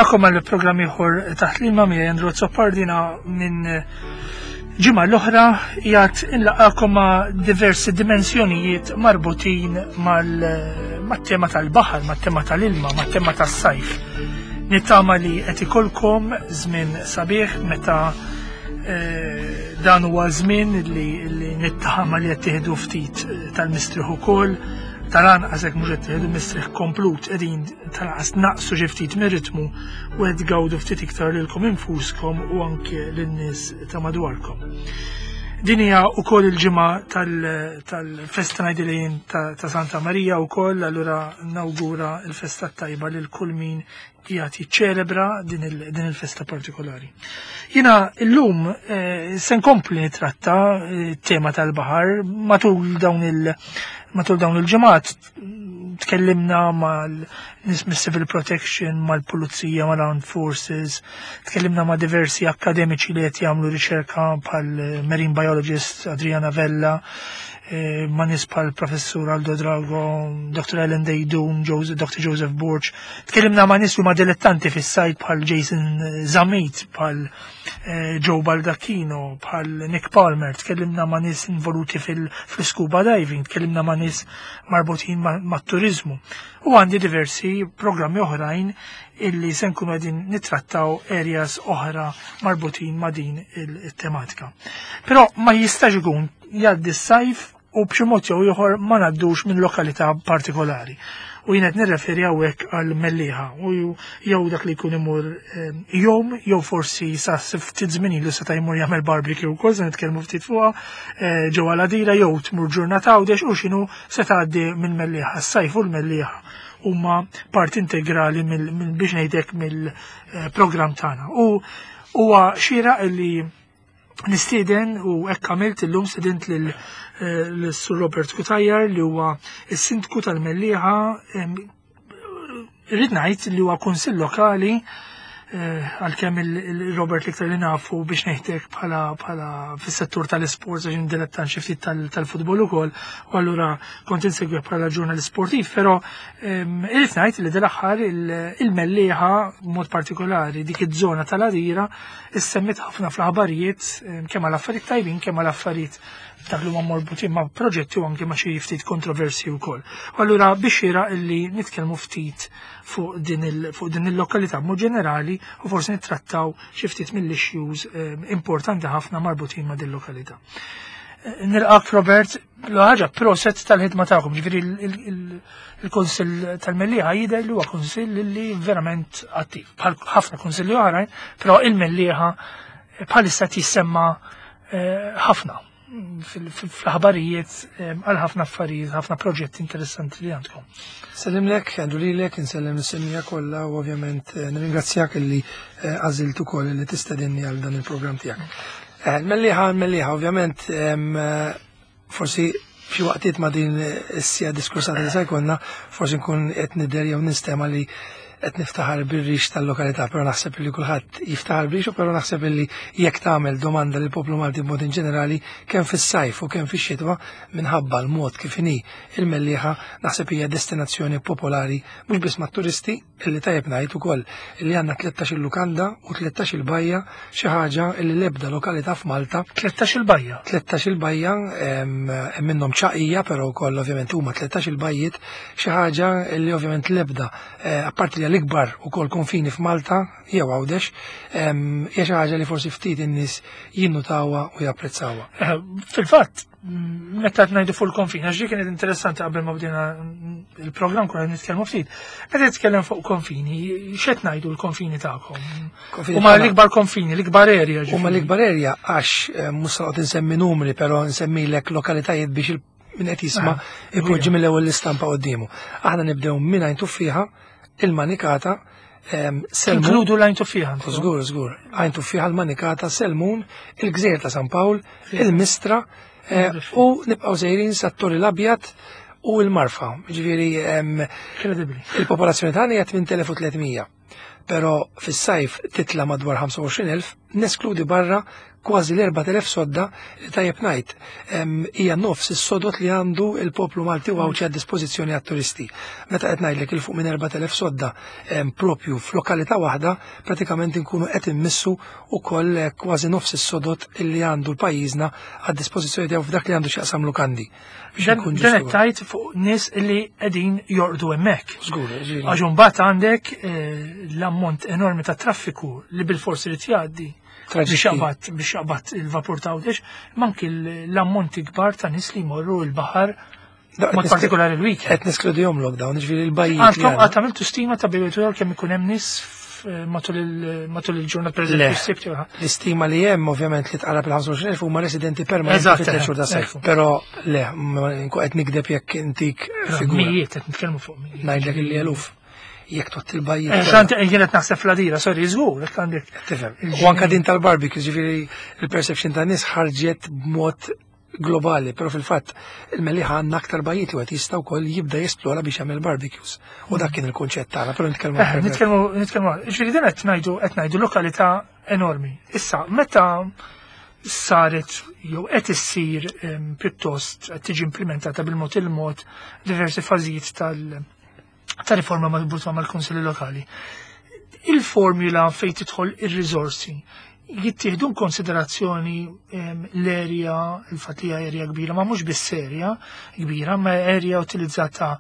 Nilqakom għal programm ieħor taħt l-ilma miegħi Andrew Zoppardina minn ġimgħa l-oħra jgħat inlaqakom ma' diversi dimensjonijiet marbutin mal-tema tal-baħar, mat-tema tal-ilma, mat-tema tas-sajf. Nittama li qed ikolkom żmien sabiħ meta eh, dan huwa żmien li nittama li qed tieħdu ftit tal-mistrieħ ukoll tal-anqas hekk mhux qed tieħdu mistrieħ komplut qegħdin tal-anqas naqsu xi ftit mir-ritmu u qed tgawdu ftit iktar lilkom infuskom u anke lin-nies ta' madwarkom. Din hija wkoll il-ġimgħa tal-festa ngħidilin ta' Santa Marija wkoll allura nawgura l-festa tajba lil kull min qiegħed jiċċelebra din il-festa partikolari. Jiena illum eh, se nkompli nitratta eh, tema tal-baħar matul dawn il- matul dawn il-ġimgħat tkellimna mal-nies mis-civil protection, mal-pulizija, mal-armed forces, tkellimna ma' diversi akademiċi li qed jagħmlu riċerka bħal marine biologist Adriana Vella, Eh, ma' nies bħal professur Aldo Drago, Dr. Ellen Dejdun, Dr. Joseph Borg. Tkellimna ma' nies huma dilettanti fis-sajt bħal Jason Zamit, bħal eh, Joe Baldacchino, bħal Nick Palmer, tkellimna ma' nies involuti fil-scuba diving, tkellimna ma' nies marbutin mat-turizmu. U għandi diversi programmi oħrajn illi se nkunu qegħdin nittrattaw areas oħra marbutin ma' din il-tematika. Però ma jistax ikun jgħaddi s-sajf u b'xi mod jew ieħor ma ngħaddux minn lokalità partikolari. U jien qed nirreferi hawnhekk għal Mellieħa u jew dak li jkun imur eh, jom jew forsi sa ftit żmien ilu seta' jmur jagħmel barbecue wkoll se nitkellmu ftit fuqha eh, ġewwa l-Għadira jew tmur ġurnata Għawdex u x'inhu se tgħaddi minn Mellieħa. S-sajf u l-Mellieħa huma parti integrali biex ngħidlek mill-programm tagħna. U huwa xieraq li nistieden u hekk għamilt illum stedint lil eh, Sur Robert Cutajar li huwa s-sindku tal-Mellieħa rrid ngħid li huwa kunsill lokali eh, għalkemm il-Robert l-iktar li nafu biex ngħidlek bħala bħala fis-settur tal-isports għax dilettant xi ftit tal-futbol ukoll u allura kont insegwi bħala ġurnalist sportiv, però irrid ngħid li dal-aħħar il-Mellieħa b'mod partikolari dik iż-żona tal-Għadira issemmit ħafna fl-aħbarijiet kemm għal affarijiet tajbin kemm għal affarijiet dak li huma morbutin ma' proġetti u anke ma' xi ftit kontroversi wkoll. U allura biex xieraq illi nitkellmu ftit fuq din il-lokalità mod ġenerali u forsi nittrattaw xi ftit mill-issues importanti ħafna marbutin ma' din lokalità. Eh, nilqak Robert, l-ħaġa proset tal-ħidma tagħkom, ġifieri il-Kunsill tal-Mellieħa jidher li huwa kunsill li verament attiv. Bħal ħafna kunsilli oħrajn, però il-Mellieħa bħalissa tissemma eh, ħafna fl-aħbarijiet eh, għal ħafna affarijiet, ħafna proġetti interessanti li għandkom. Sellimlek, għandu lilek, insellem is-semija kollha u ovvjament eh, nirringrazzjak li għażilt ukoll li tistedinni għal dan il-programm tiegħek. Mellieħa, Mellieħa, ovvjament forsi f'xi waqtiet ma' din is-sija diskursata li se jkollna, forsi nkun qed nidher jew nistema' li qed niftaħar bir-rix tal-lokalità, però naħseb li kulħadd jiftaħar b'rixu, però naħseb li jekk tagħmel domanda lill poplu Malti b'mod in ġenerali kemm fis-sajf u kemm fix-xitwa minħabba l-mod kif inhi il-Mellieħa naħseb hija destinazzjoni popolari mhux biss mat-turisti illi tajjeb ngħid ukoll illi għandna 13 il-lukanda u 13 il-bajja xi ħaġa illi l-ebda lokalità f'Malta. 13 il-bajja. 13 il-bajja hemm minnhom ċaqija però wkoll ovvjament huma 13 il-bajjiet xi ħaġa illi ovvjament l-ebda eh, apparti li l-ikbar ukoll konfini f'Malta jew Għawdex hija xi ħaġa li forsi ftit in-nies jinnutawha u japprezzawha. Eh, fil-fatt, meta qed ngħidu fuq il-konfini, għax kienet interessanti qabel ma bdejna il-programm kuna nitkellmu ftit. Meta titkellem fuq konfini, x'qed ngħidu l-konfini tagħkom? Huma l-ikbar konfini, l-ikbar area. Huma l-ikbar area għax eh, mhux se noqgħod insemmi numri, però nsemmilek lokalitajiet biex min qed jisma' ah, ipoġġi mill-ewwel l-istampa quddiemu. Aħna nibdew minn għajn tuffiħa, il-manikata, Selmun. Inkludu l-għajn tuffiħa. Żgur, żgur. Għajn tuffiħa l-manikata, Selmun, il-Gżejjer ta' San Pawl, il-Mistra, eh, u nibqgħu sejrin sat-Torri l-Abjad u l-Marfa. Ġifieri il-popolazzjoni tagħna hija 8300. Però fis-sajf titla' madwar 25,000, neskludi barra kważi l-4000 sodda li, tajjeb ngħid, hija nofs is-sodot li għandu il-poplu Malti u Għawdxi għad dispożizzjoni għat-turisti. Meta qed ngħidlek il fuq minn 4000 sodda propju f'lokalità waħda, pratikament inkunu qed immissu ukoll kważi nofs is-sodot illi għandu l-pajjiżna għad dispożizzjoni tiegħu f'dak li għandu x'jaqsam lukandi. Dan qed tgħid fuq nies li qegħdin jorqdu hemmhekk. Żgur. Għax imbagħad għandek l-ammont enormi ta' traffiku li bilfors irid jgħaddi biex jaqbad il-vapur ta' Għawdex, manki l-ammonti kbar ta' nies li jmorru l-baħar, mod partikolari l-weekend. Qed neskludihom lockdown, ġifieri l-bajjiet. Għandkom qatt għamiltu stima ta' bejn kemm ikun hemm nies matul il-ġurnata, per eżempju, s-Sibt? L-istima li hemm, ovvjament, li tqarrab il-25,000 huma residenti permanenti fit-3 xhur ta' sajf. Però le, nkun qed nikdeb jekk intik figura. Mijiet, qed nitkellmu fuq mijiet. Ngħidlek illi eluf jekk tot il-bajjiet. Xant jien qed naħseb fl-Għadira, sorry, żgur, jekk għandek. Tifhem. U anka din tal-barbecue, ġifieri il-perception ta' nies ħarġet b'mod globali, pero fil-fatt il-Mellieħa għandna aktar bajjiet li għet jista' wkoll jibda jesplora biex jagħmel barbecues. U dak kien il-kunċett tagħna, però nitkellmu. Nitkellmu, ġifieri din qed ngħidu lokalità enormi. Issa, meta saret jew qed issir, pjuttost qed tiġi implementata bil-mod il-mod diversi fażijiet ta' riforma marbuta mal-kunsilli lokali, il-formula fejn tidħol ir-riżorsi jittieħdu konsiderazzjoni l-area, il-fatt li area kbira, ma mhux biss area kbira, ma area utilizzata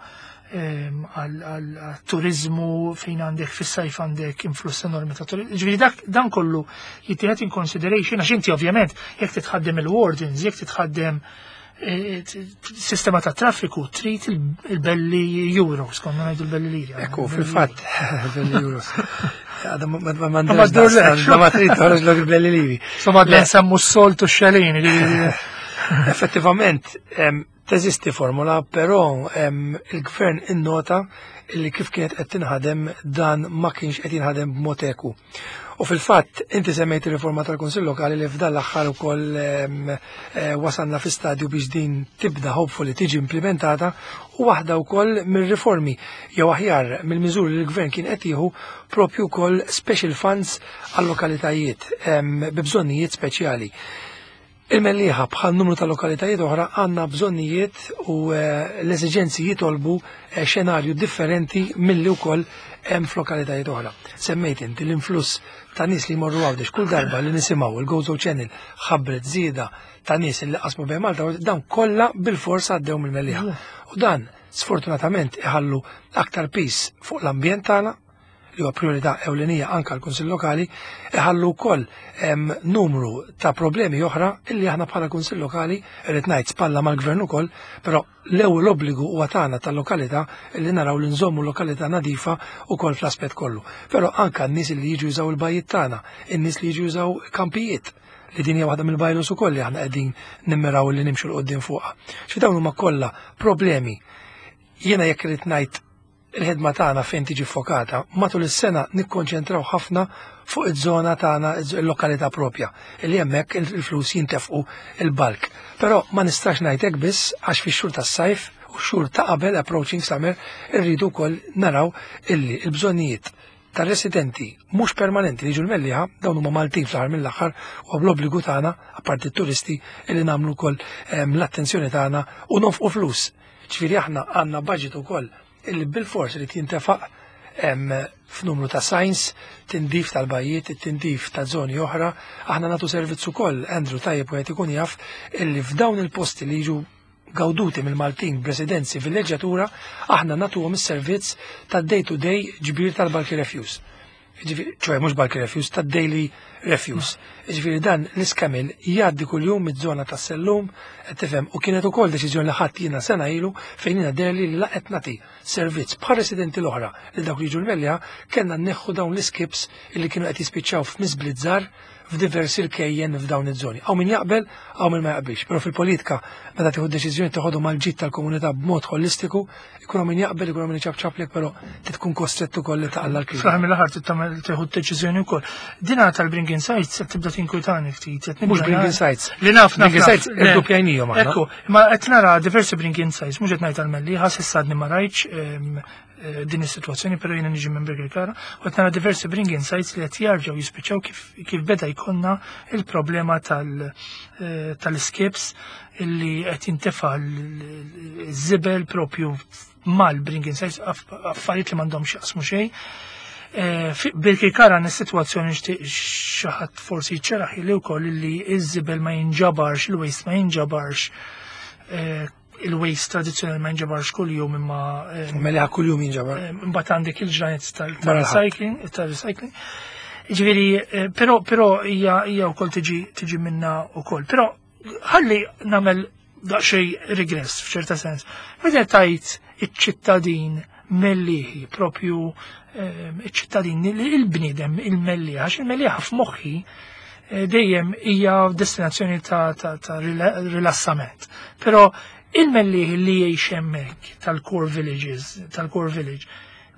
għal turizmu fejn għandek fis-sajf għandek influss enormi ta' turizmu. Ġifieri dak dan kollu jittieħed in consideration għax inti ovvjament jekk titħaddem il-wardens, jekk titħaddem sistema ta' traffiku, trid il-belli euros, konna ngħidu l-belli liri. Ekku, fil-fatt, belli euros. Għada ma ma trid toħroġ l il-belli liri. Insomma, għadna nsemmu s-soltu xalin. Effettivament, teżisti formula, però il-gvern innota illi kif kienet qed tinħadem dan ma kienx qed jinħadem b'mod eku. U fil-fatt, inti semmejt il-riforma tal-Kunsill Lokali li f'dan l-aħħar ukoll wasalna fi stadju biex din tibda hopefully tiġi implementata, u waħda wkoll mir-riformi jew aħjar mill-miżuri li l-gvern kien qed jieħu propju wkoll special funds għal lokalitajiet bi bżonnijiet speċjali. Il-Mellieħa, bħal numru ta' lokalitajiet oħra, għandna bżonnijiet u l-eżiġenzi jitolbu xenarju differenti milli wkoll hemm f'lokalitajiet oħra. Semmejt inti l-influss ta' nies li jmorru Għawdex. Kull darba li nisimgħu il-Gozo Channel ħabbret żieda ta' nies li qasmu bejn Malta, dan kollha bil-fors għaddew mill-Mellieħa. U dan sfortunatament iħallu aktar pis fuq l-ambjent tagħna, li huwa priorità ewlenija anka l-Kunsill Lokali, iħallu wkoll numru ta' problemi oħra illi aħna bħala Kunsill Lokali, irrid ngħid, spalla mal-Gvern ukoll, però l-ewwel obbligu huwa tagħna tal-lokalità illi naraw li nżommu lokalità nadifa ukoll fl-aspett kollu. Però anka n-nies li jiġu jużaw il-bajjiet tagħna, in-nies li jiġu jużaw kampijiet, li din hija waħda mill-bylaws ukoll li aħna qegħdin nimmiraw li nimxu 'l quddiem fuqha. Xi dawn huma kollha problemi. Jiena jekk irid ngħid il-ħidma tagħna fejn tiġi fokata, matul is-sena nikkonċentraw ħafna fuq iż-żona tagħna, il-lokalità propja, li hemmhekk il-flus jintefqu il-bulk. Però ma nistax ngħidlek biss, għax fix-xhur tas-sajf u xhur ta' qabel, approaching summer, irridu wkoll naraw illi l-bżonnijiet tar-residenti mhux permanenti li jiġu l-Mellieħa, dawn huma Maltin fl-aħħar mill-aħħar, u bl-obbligu tagħna, apparti t-turisti, illi nagħmlu wkoll l-attenzjoni tagħna u nonfqu flus. Ġifieri aħna għandna budget ukoll illi bil-fors li jintefaq f'numru ta' signs, tindif tal-bajjiet, tindif ta' zoni oħra. Aħna nagħtu servizz ukoll, Andrew, tajjeb u ikun jaf illi f'dawn il-posti li jiġu gawduti mill-Maltin b'residenzi villeġġatura, aħna nagħtuhom is-servizz ta' day-to-day ġbir tal-bulky refuse. Ċoè mhux bulky refuse, ta' daily refuse. Ġifieri dan l-iskamil jgħaddi kuljum mid-żona ta' Sellum, tifhem, u kienet ukoll deċiżjoni li ħadd jiena sena ilu fejn jiena derli li laqet nagħti servizz bħal residenti l-oħra li dawk li jiġu l-Mellieħa, kellna nneħħu dawn l-skips illi kienu qed jispiċċaw f'miżblizzar f'diversi rkejjen f'dawn iż-żoni. Hawn min jaqbel, hawn min ma jaqbilx, però fil-politika Meta tieħu deċiżjoni toħodhom għall-ġid tal-komunità b'mod holistiku, ikun min jaqbel, ikun min iċapċaplek, però tkun kostrett ukoll li taqla' l-kliem. Fl-aħħar mill-aħħar tagħmel tieħu deċiżjoni wkoll. Dina tal-Bring Insights qed tibda tinkwitani ftit. Mhux Bring Insights. Li naf naf. Bring Insights irdoppjajnihom aħna. Ekku, ma qed nara diversi Bring Insights, mhux qed ngħid għal-Mellieħa, s'issa għadni ma rajtx din is-sitwazzjoni, però jiena niġi minn Birkirkara, u qed nara diversi Bring Insights li qed jarġgħu jispiċċaw kif beda jkollna il-problema tal-skips illi qed jintefa' l-żibel propju mal-Bring Insights, affarijiet li m'għandhomx jaqsmu xejn. Birkirkara għandna sitwazzjoni nixtieq xi ħadd forsi jċeraħ li wkoll li ż-żibel ma jinġabarx, il-waste ma jinġabarx, il-waste tradizzjonali ma jinġabarx kuljum imma Mela kuljum jinġabar. Imbagħad għandek il-ġranet Barra tal-recycling, tal-recycling. Ġifieri, però hija wkoll tiġi minna wkoll. Però ħalli nagħmel daqsxejn regress f'ċerta sens. Meta tajt iċ-ċittadin Mellieħi, propju iċ-ċittadin, il-bniedem, il-Mellieħa, għax il-Mellieħa f'moħħi dejjem hija destinazzjoni ta' rilassament. Però il-Mellieħi li jgħix hemmhekk tal-core villages, tal-core village,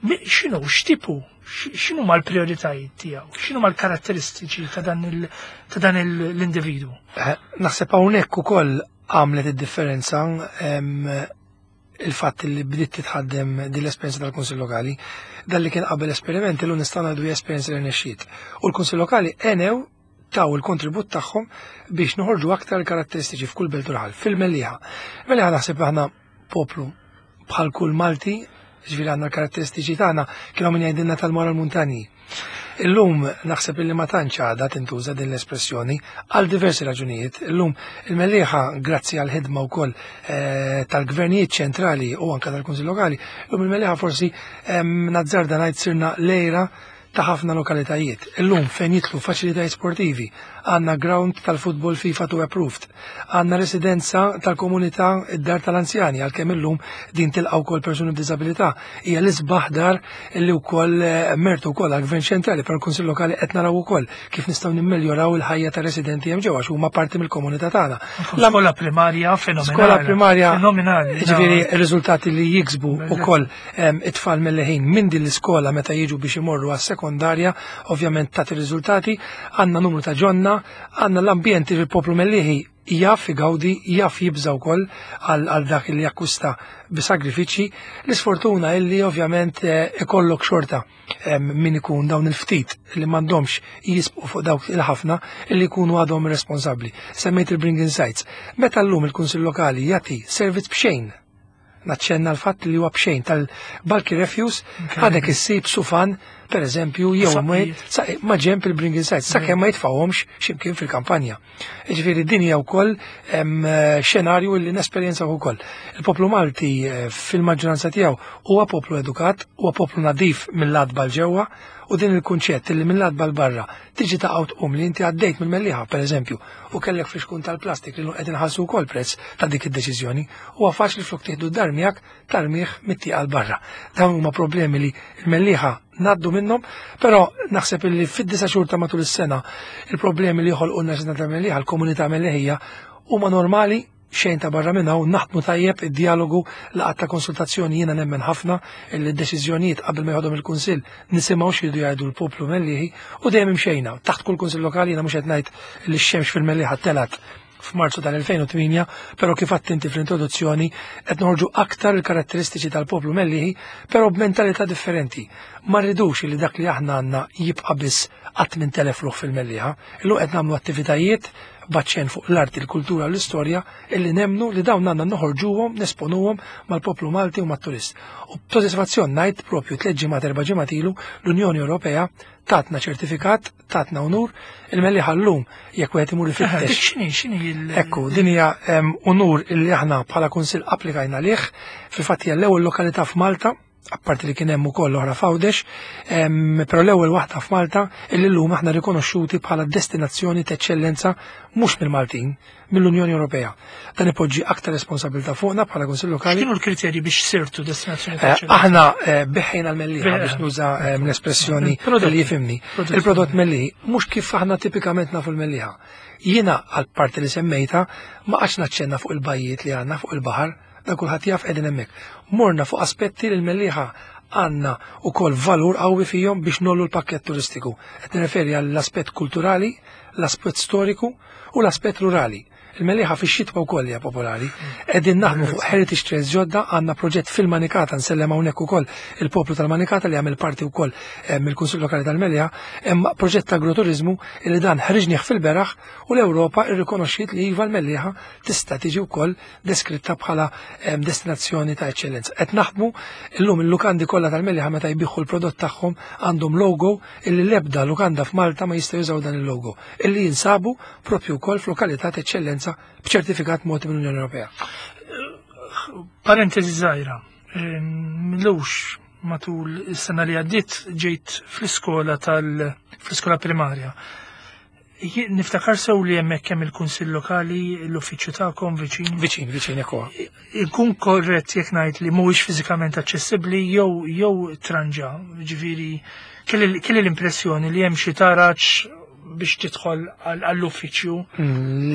x'inhu, x'tipu, x'inhu mal-prioritajiet tiegħu, x'inhu mal-karatteristiċi ta' dan l-individwu? Naħseb hawnhekk ukoll għamlet id-differenza il-fatt li bdiet titħaddem din l-esperjenza tal-Kunsill Lokali, dan li kien qabel esperiment illum nistgħu ngħidu esperjenza li rnexxiet. U l-Kunsill Lokali għenew taw il-kontribut tagħhom biex noħorġu aktar karatteristiċi f'kull belt u raħal, fil-Mellieħa. Mellieħa naħseb aħna poplu bħal kull Malti, ġifieri għandna l-karatteristiċi tagħna, kienu min jgħidilna tal-moral muntanji. Illum naħseb illi ma tantx għadha tintuża din l-espressjoni għal diversi raġunijiet. Illum il-Mellieħa, grazzi għal ħidma wkoll tal-gvernijiet ċentrali u anke tal-Kunsill Lokali, illum il-Mellieħa forsi nazzarda ngħid sirna lejra ta' ħafna lokalitajiet. Illum fejn jidħlu faċilitajiet sportivi, għandna ground tal-futbol FIFA 2 approved, għandna residenza tal-komunità id-dar tal-anzjani, għalkemm illum din tilqa' wkoll persuni b'diżabilità. Hija l-isbaħ dar illi wkoll mertu wkoll għall-Gvern ċentrali, però l-Kunsill Lokali qed naraw ukoll kif nistgħu nimmeljoraw il-ħajja tar-residenti hemm ġewwa għax huma parti mill-komunità tagħna. Skola primarja fenomenali. Skola primarja fenomenali. Ġifieri r-riżultati li jiksbu ukoll it-tfal mill-ħin minn din l-iskola meta jiġu biex imorru għas-sekondarja, ovvjament tagħti riżultati, għandna numru ta' ġonna, għandna l-ambjent il-poplu Mellieħi jaf igawdi, jaf jibża wkoll għal dak li jakkwista b'sagrifiċċji. L-isfortuna illi ovvjament ikollok xorta min ikun dawn il-ftit li m'għandhomx jisbqu fuq dawk il-ħafna illi jkunu għadhom responsabbli. Semmejt il-Bring Insights. Meta llum il-Kunsill Lokali jagħti servizz b'xejn, naċċenna l-fatt li huwa b'xejn tal-bulky refuse, għadek issib sufan, per eżempju, jew ma ġemp il-Bring Insights, sakemm ma jitfawhomx x'imkien fil-kampanja. Ġifieri din hija wkoll xenarju li nesperjenza wkoll. Il-poplu Malti fil-maġġoranza tiegħu huwa poplu edukat, huwa poplu nadif mill-adba l-ġewwa, u din il-kunċett li mill-adba l-barra tiġi ta' tqum li inti għaddejt mill-Mellieħa, per eżempju, u kellek fixkun tal-plastik li qed inħallsu wkoll prezz ta' dik id-deċiżjoni, huwa faċli flok tieħdu d-dar miegħek tarmih mit-tieqa l barra. Dawn huma problemi li l-Mellieħa ngħaddu minnhom, però naħseb li fid-9 xhur ta' matul is-sena il-problemi li joħolqulna sena ta' Mellieħa, l-komunità Melliħija, huma normali, xejn ta' barra minn hawn, naħdmu tajjeb id-dialogu, laqgħat ta' konsultazzjoni. Jiena nemmen ħafna li d-deċiżjonijiet qabel ma jħodhom il-Kunsill nisimgħu x'jridu jgħidu l-poplu Mellieħi u dejjem imxejna. Taħt kull Kunsill Lokali jiena mhux qed ngħid li x-xemx fil-Mellieħa telat f'Marzu tal-2008, però kif għedt inti fl-introduzzjoni qed noħorġu aktar il-karatteristiċi tal-poplu Mellieħi, però b'mentalità differenti. Ma rridux li dak li aħna għandna jibqa' biss qatt minn telef ruħ fil-Mellieħa. Illum qed nagħmlu attivitajiet baċċen fuq l-arti, l-kultura u l-istorja illi nemnu li dawn għandna noħorġuhom, nesponuhom mal-poplu Malti u mat-turist. U b'sodisfazzjon ngħid propju 3 ġimgħat, 4 ġimgħat ilu l-Unjoni Ewropea tatna ċertifikat, tatna unur, il-Mellieħa llum jekk wieħed imur ifittex. Dik x'inhi il- Ekku, din hija unur illi aħna bħala kunsill applikajna lih, fil-fatt hija l-ewwel lokalità f'Malta. apparti li kien hemm ukoll oħra f'Għawdex, però l-ewwel waħda f'Malta illi llum aħna rikonoxxuti bħala destinazzjoni ta' eċċellenza mhux mill-Maltin, mill-Unjoni Ewropea. Dan ipoġġi aktar responsabilità fuqna bħala Kunsill Lokali. X'kienu l-kriterji biex sirtu destinazzjoni ta' eċċellenza? Aħna biħħejna l-Mellieħa biex nuża l-espressjoni li jifhimni. Il-prodott Mellieħi mhux kif aħna tipikament nafu l-Mellieħa. Jiena għal parti li semmejta ma qgħadx naċċenna fuq il-bajjiet li għandna fuq il-baħar, dan kulħadd jaf qegħdin hemmhekk. Morna fuq aspetti li l-Mellieħa għandna wkoll valur qawwi fihom biex nollu l-pakkett turistiku. Qed nirreferi għall-aspett kulturali, l-aspett storiku u l-aspett rurali. Il-Mellieħa fix-xitwa wkoll hija popolari. Qegħdin naħdmu fuq heritage trails ġodda, għandna proġett fil-Manikata nsellem hawnhekk ukoll il-poplu tal-Manikata li jagħmel parti wkoll mill-Kunsill Lokali tal-Mellieħa, hemm proġett ta' agroturizmu li dan ħriġnieh fil-beraħ u l-Ewropa rrikonoxxiet li iva l-Mellieħa tista' tiġi wkoll deskritta bħala destinazzjoni ta' eċċellenza. Qed naħdmu illum il-lukandi kollha tal-Mellieħa meta jbigħu l-prodott tagħhom għandhom logo illi l-ebda lukanda f'Malta ma jista' jużaw dan il-logo illi jinsabu propju wkoll f'lokalità ta' eċċellenza b'ċertifikat mogħti mill-Unjoni Ewropea. Parentesi żgħira, milux matul is-sena li għaddiet ġejt fl-iskola tal fl-iskola primarja. Niftakar sew li hemmhekk hemm il-Kunsill Lokali, l-uffiċċju tagħkom viċin. Viċin, viċin ekku. Inkun korrett jekk ngħid li mhuwiex fiżikament aċċessibbli jew jew tranġa, ġifieri kelli l-impressjoni li hemm xi taraġ biex tidħol għall-uffiċċju.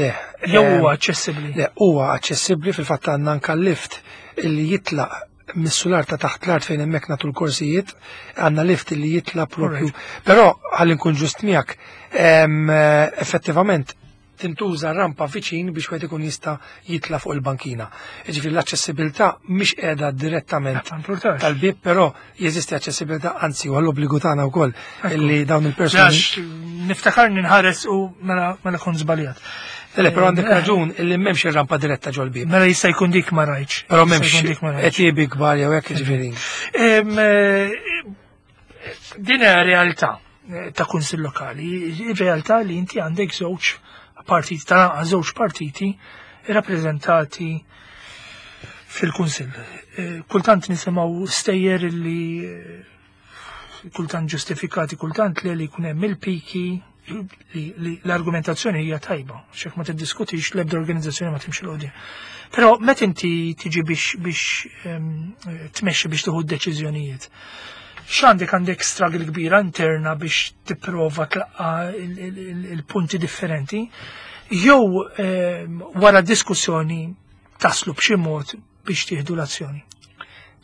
Le. Jew huwa aċċessibbli? Le, huwa aċċessibbli fil-fatt għandna anke lift li jitlaq mis-sular ta' taħt l-art fejn hemmhekk nagħtu l-korsijiet, għandna lift li jitla propju. Però ħalli nkun ġust miegħek, effettivament tintuża rampa viċin biex wieħed ikun jista' jitla fuq il-bankina. Jiġifieri l-aċċessibilità mhix qiegħda direttament tal-bieb, però jeżisti aċċessibilità, anzi huwa l-obbligu tagħna wkoll li dawn il-persuni. Niftakar ninħares u mela kont żbaljat. Le, però għandek raġun illi m'hemmx ir-rampa diretta ġol-bieb. Mela jista' jkun dik ma rajtx. Però m'hemmx qed kbar jew hekk jiġifieri. Din hija realtà ta' kunsill lokali, realtà li inti għandek żewġ partiti, ta' żewġ partiti rappreżentati fil-kunsill. Kultant nisimgħu stejjer li kultant ġustifikati, kultant li jkun hemm il-piki, li l-argumentazzjoni hija tajba, xek ma tiddiskutix l-ebda organizzazzjoni ma timxi l-qudiem. Però meta inti tiġi biex tmexxi biex tieħu d-deċiżjonijiet, x'għandek għandek struggle kbira interna biex tipprova tlaqqa il-punti differenti, jew wara diskussjoni taslu b'xi mod biex tieħdu l-azzjoni.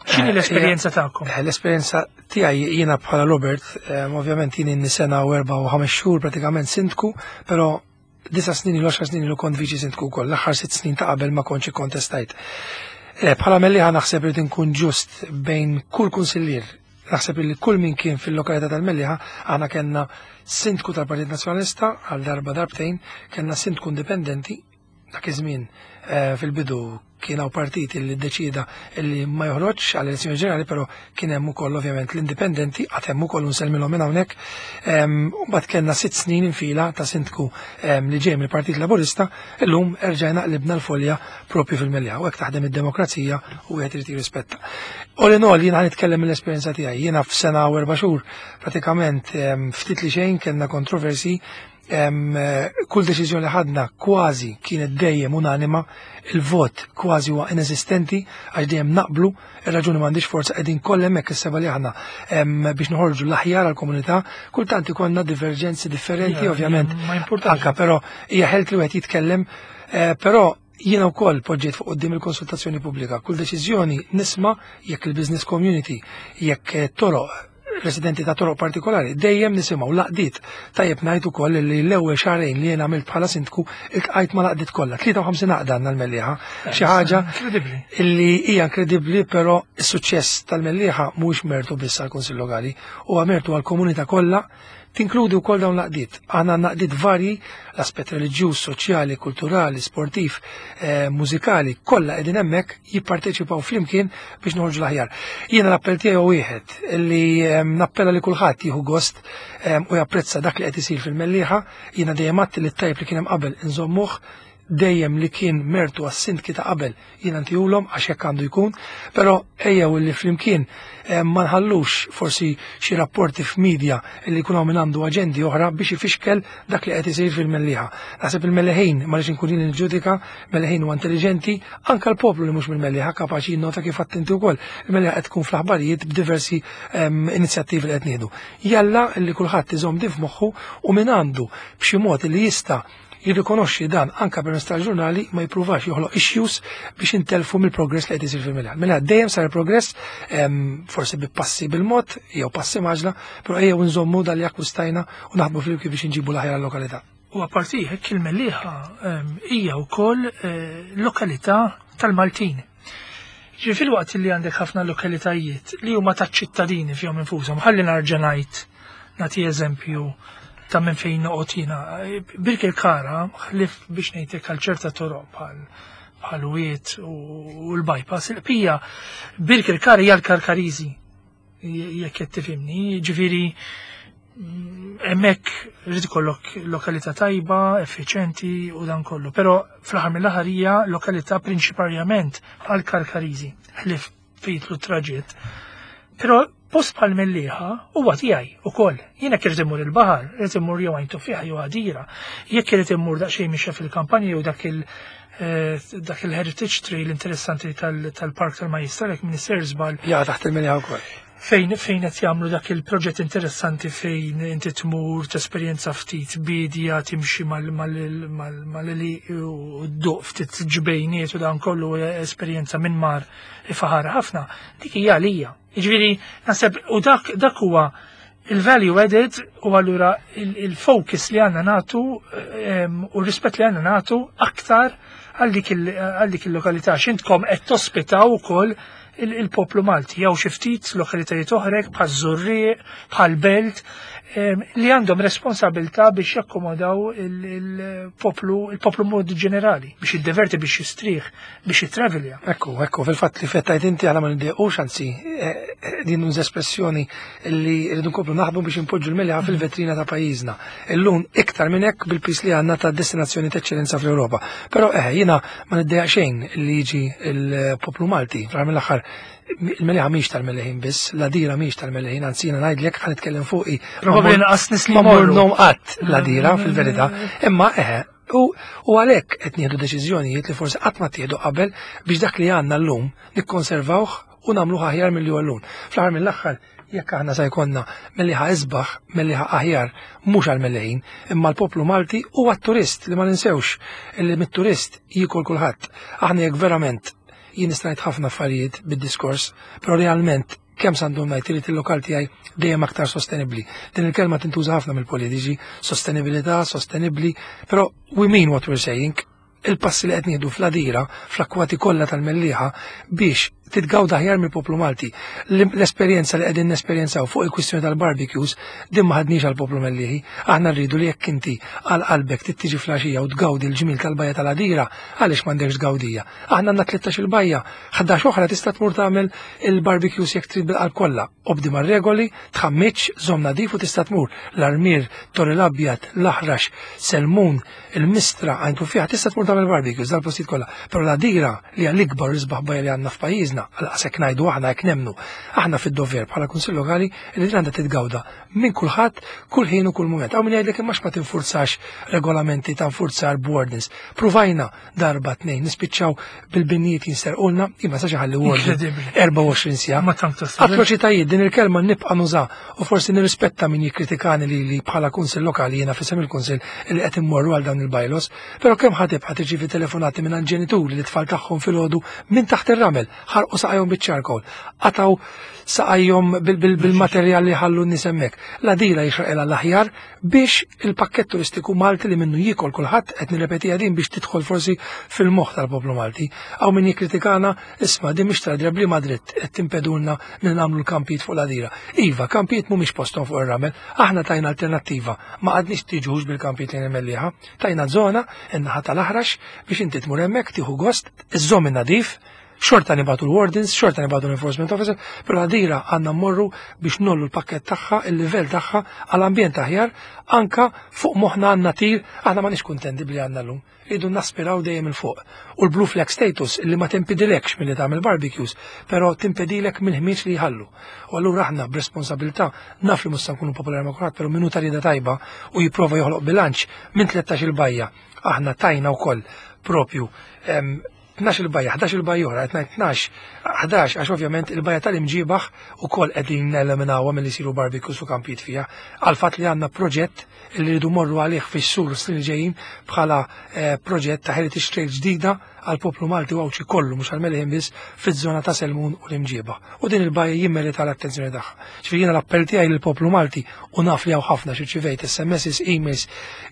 X'inhi l-esperjenza tagħkom? L-esperjenza tiegħi jiena bħala Robert, ovvjament jien inni sena u 4 u 5 xhur pratikament sindku, però 9 snin ilu 10 snin ilu kont viċi sindku wkoll, l-aħħar 6 snin ta' qabel ma kontx ikkontestajt. Bħala Mellieħa naħseb li nkun ġust bejn kull kunsillier, naħseb li kull min kien fil-lokalità tal-Mellieħa, aħna kellna sindku tal-Partit Nazzjonalista għal darba darbtejn, kellna sindku indipendenti, dak iż-żmien fil-bidu kien hawn partit li ddeċida li ma joħroġx għall elezzjoni ġenerali, però kien hemm ukoll ovvjament l-indipendenti, għad hemm ukoll nsellmilhom minn hawnhekk. U mbagħad kellna 6 snin infila ta' sindku li ġej mill-Partit Laburista, illum erġajna qlibna l-folja propju fil-Mellieħa, u hekk taħdem id-demokrazija u wieħed irid jirrispetta. All in all, jiena nitkellem mill-esperjenza tiegħi, jiena f'sena u 4 xhur pratikament ftit li xejn kellna kontroversi, kull deċiżjoni li ħadna kważi kienet dejjem unanima, il-vot kważi huwa inesistenti għax dejjem naqblu, ir-raġuni m'għandix forza qegħdin kollha hemmhekk is-seba' li aħna biex noħorġu l-aħjar għall-komunità, kultant ikollna diverġenzi differenti ovvjament. Ma importanx. Anka però hija ħelt li wieħed jitkellem, però jiena wkoll poġġejt fuq quddiem il-konsultazzjoni pubblika. Kull deċiżjoni nisma' jekk il-business community, jekk toroq residenti ta' toroq partikolari, dejjem nisimgħu laqdiet. Tajjeb ngħid ukoll li l-ewwel xahrejn li jien għamilt bħala sindku iltqajt ma' laqdiet kollha, 53 għaqda għandna l-Mellieħa. Xi ħaġa Inkredibbli. illi hija inkredibbli, però s-suċċess tal-Mellieħa mhuwiex mertu biss għall-Kunsill Lokali, huwa mertu għall-komunità kollha, tinkludi wkoll dawn l-għaqdiet. Aħna għandna għaqdiet varji, l-aspett reliġjuż, soċjali, kulturali, sportiv, mużikali, kollha qegħdin hemmhekk jipparteċipaw flimkien biex noħorġu l-aħjar. Jiena l-appell tiegħi huwa wieħed li nappella li kulħadd jieħu gost u japprezza dak li qed isir fil-Mellieħa. Jiena dejjem għedt li t-tajb li kien hemm qabel inżommuh, Dejjem li kien mertu għas-sindki ta' qabel jiena ntihulhom għax hekk għandu jkun, però ejjew li flimkien ma nħallux forsi xi rapporti f'media li jkun hawn min għandu aġendi oħra biex ifixkel dak li qed isir fil-Mellieħa. Naħseb il-Melleħin, ma rridx inkun jien li niġġudika, Melleħin huwa intelliġenti, anke l-poplu li mhux mill-Mellieħa kapaċi jinnota kif attenti wkoll. Il-Mellieħa qed tkun fl-aħbarijiet b'diversi inizjattivi li qed nieħdu. Jalla li kulħadd iżomm din f'moħħu u min għandu b'xi mod li jista' jirrikonoxxi dan anka permezz tal-ġurnali ma jippruvax joħloq issues biex intelfu mill-progress li qed isir fil-Milan. Mela dejjem sar progress forsi bi passi bil-mod jew passi maġla, però ejjew nżommu dal li akkwistajna u naħdmu flimkien biex inġibu l-aħjar lokalità. U apparti hekk il-Mellieħa hija wkoll lokalità tal-Maltin. Ġi fil-waqt li għandek ħafna lokalitajiet li huma taċ-ċittadini fihom infushom, ħalli narġa' ngħid nagħti eżempju ta' minn fejn noqgħod jiena. Birkirkara, ħlif biex ngħidlek għal ċerta toroq bħal bħal wiet u l-bypass, il-qpija Birkirkara hija l-Karkariżi jekk qed tifhimni, ġifieri hemmhekk irid ikollok lokalità tajba, effiċenti u dan kollu. Però fl-aħħar mill-aħħar hija lokalità prinċiparjament għal Karkariżi, ħlief fejtlu traġitt. Però post bħal Mellieħa huwa tiegħi ukoll. Jiena jekk irid immur il-baħar, irid immur jew Għajn Tuffieħa jew Għadira. Jekk irid immur daqsxejn mixja fil-kampanja jew dak il dak il-heritage trail interessanti tal-Park tal-Majjistral jekk m'iniex żball. Ja, taħt il-Mellieħa wkoll. Fejn qed jagħmlu dak il-proġett interessanti fejn inti tmur tesperjenza ftit bidja timxi mal-li u dduq ftit ġbejniet u dan kollu esperjenza minn mar ifaħar ħafna, dik hija għalija. Jiġifieri naħseb u dak huwa il-value added u allura il-focus li għandna nagħtu u r-rispett li għandna nagħtu aktar għal dik il-lokalità. X'intkom qed tospitaw ukoll il-poplu Malti, jew xi ftit lokalitajiet oħrek bħal Żurrieq, bħal Belt, li għandhom responsabilità biex jakkomodaw il-poplu mod ġenerali, biex jiddeverti, biex jistrieħ, biex jitravelja. Ekku, fil-fatt li fettajt inti għala ma niddequx, anzi, din nuż espressjoni li rridu nkomplu naħdmu biex impoġġu l-Mellieħa fil-vetrina ta' pajjiżna. Illum iktar minn hekk bil-pis li għandna ta' destinazzjoni ta' eċċellenza fl-Ewropa. Però jiena ma niddejjaq xejn li jiġi il-poplu Malti, fl mill-aħħar il-Mellieħa mhix tal-Melleħin biss, l-Għadira mhix tal-Melleħin, anzi jiena ngħidlek ħa nitkellem fuqi. Probabbli naqas nies li Ma jmorru. mornom qatt l-Għadira fil-verità, imma u għalhekk qed nieħdu deċiżjonijiet li forsi qatt ma tieħdu qabel biex dak li għandna llum nikkonservawh u nagħmluh aħjar milli huwa llum. Fl-aħħar mill-aħħar jekk aħna sa jkollna Mellieħa isbaħ, Mellieħa aħjar, mhux għall-Melleħin, imma l-poplu Malti u għat-turist li ma ninsewx li mit-turist jiekol kulħadd. Aħna jekk verament jien nista' ngħid ħafna affarijiet bid-diskors, però realment kemm s'għandhom ngħid irid il-lokal tiegħi dejjem aktar sostenibbli. Din il-kelma tintuża ħafna mill-politiċi, sostenibilità, sostenibbli, però we mean what we're saying. Il-passi li qed nieħdu fl-Għadira, fl-akkwati kollha tal-Mellieħa biex titgawda aħjar mill-poplu Malti. L-esperjenza li qegħdin nesperjenzaw fuq il-kwistjoni tal-barbecues din ma ħadniex għall-poplu Mellieħi. Aħna rridu li jekk inti għal qalbek tittiġi fl-għaxija u tgawdi l-ġmil tal-bajja tal-Għadira, għaliex m'għandekx tgawdija. Aħna għandna 13 il-bajja, 11 oħra tista' tmur tagħmel il-barbecues jekk trid bil-qalb kollha. Obdi mar-regoli, tħammitx, żomm nadif u tista' tmur. L-Armier, Torri l-Abjad, l-Aħrax, Selmun, il-Mistra, Għajn Tuffieħa, tista' tmur tagħmel barbecues dal-postijiet kollha. Però l-Għadira li hija l-ikbar u l-isbaħ bajja li għandna f'pajjiżna, għal hekk ngħidu aħna hekk nemmnu. Aħna fid-dover bħala Kunsill Lokali li din għandha titgawda minn kulħadd, kull ħin u kull mument. Hawn min jgħidlek imma ma tinfurzax regolamenti ta' nfurzar b'ordinance. Pruvajna darba tnejn nispiċċaw bil-binnijiet jinsterqulna, imma sa ħalli warden Incredibbli. 24 siegħa. Ma tant tasal. Atroċitajiet din il-kelma nibqa' nuża u forsi nirrispetta min jikkritikani li bħala kunsill lokali jiena f'isem il-kunsill li qed immorru għal dawn il-bylaws, però kemm ħa tibqa' tirċievi telefonati minn ġenituri li tfal tagħhom filgħodu minn taħt ir-ramel, ħarqu saqajhom biċ-charcoal, qataw saqajhom bil-materjal li ħallu n-nies hemmhekk. L-Għadira jixraqilha l-aħjar biex il-pakkett turistiku Malti li minnu jiekol kulħadd qed nirrepetiha din biex tidħol forsi fil-moħħ tal-poplu Malti. Hawn min jikkritikana, isma' din mhix tradira bli Madrid qed timpedulna li nagħmlu l-kampijiet fuq l-Għadira. Iva, kampijiet mhumiex posthom fuq ir-ramel, aħna tajna alternattiva, ma għadniex tiġux bil-kampijiet li Mellieħa, tajna żona in-naħa tal-Aħrax biex inti tmur hemmhekk tieħu gost, iżżomm in-nadif. Xorta nibagħtu l-wardens, xorta nibagħtu l-enforcement officer, però l-Għadira għandna mmorru biex nollu l-pakket tagħha, il-livell tagħha għal ambjent aħjar, anka fuq moħħna għandna tir, aħna m'aħniex kuntenti bli għandna llum. Rridu naspiraw dejjem 'il fuq. U l-Blue Flag status li ma timpidilekx milli tagħmel barbecues, però timpedilek mill-ħmieġ li jħallu. U allura aħna b'responsabilità naf li mhux se nkunu popolari ma' kulħadd, però min hu ta' rieda tajba u jipprova joħloq bilanċ minn 13 il-bajja. Aħna tajna wkoll propju 12 il-bajja, 11 il-bajja oħra, qed ngħid 12, 11 għax ovvjament il-bajja tal-Imġiebaħ ukoll qegħdin neliminawha milli jsiru barbecues u kampijiet fiha, għal fatt li għandna proġett li rridu morru għalih fix-xhur u snin li ġejjin bħala eh, proġett ta' heritage trail ġdida għal poplu Malti u Għawdxi kollu mhux għal Meliħin biss fiż-żona ta' Selmun u l-Imġiebaħ. U din il-bajja jimmerita l-attenzjoni tagħha. Ġifieri jiena l-appell tiegħi lill-poplu Malti u naf li hawn ħafna xi SMS, emails,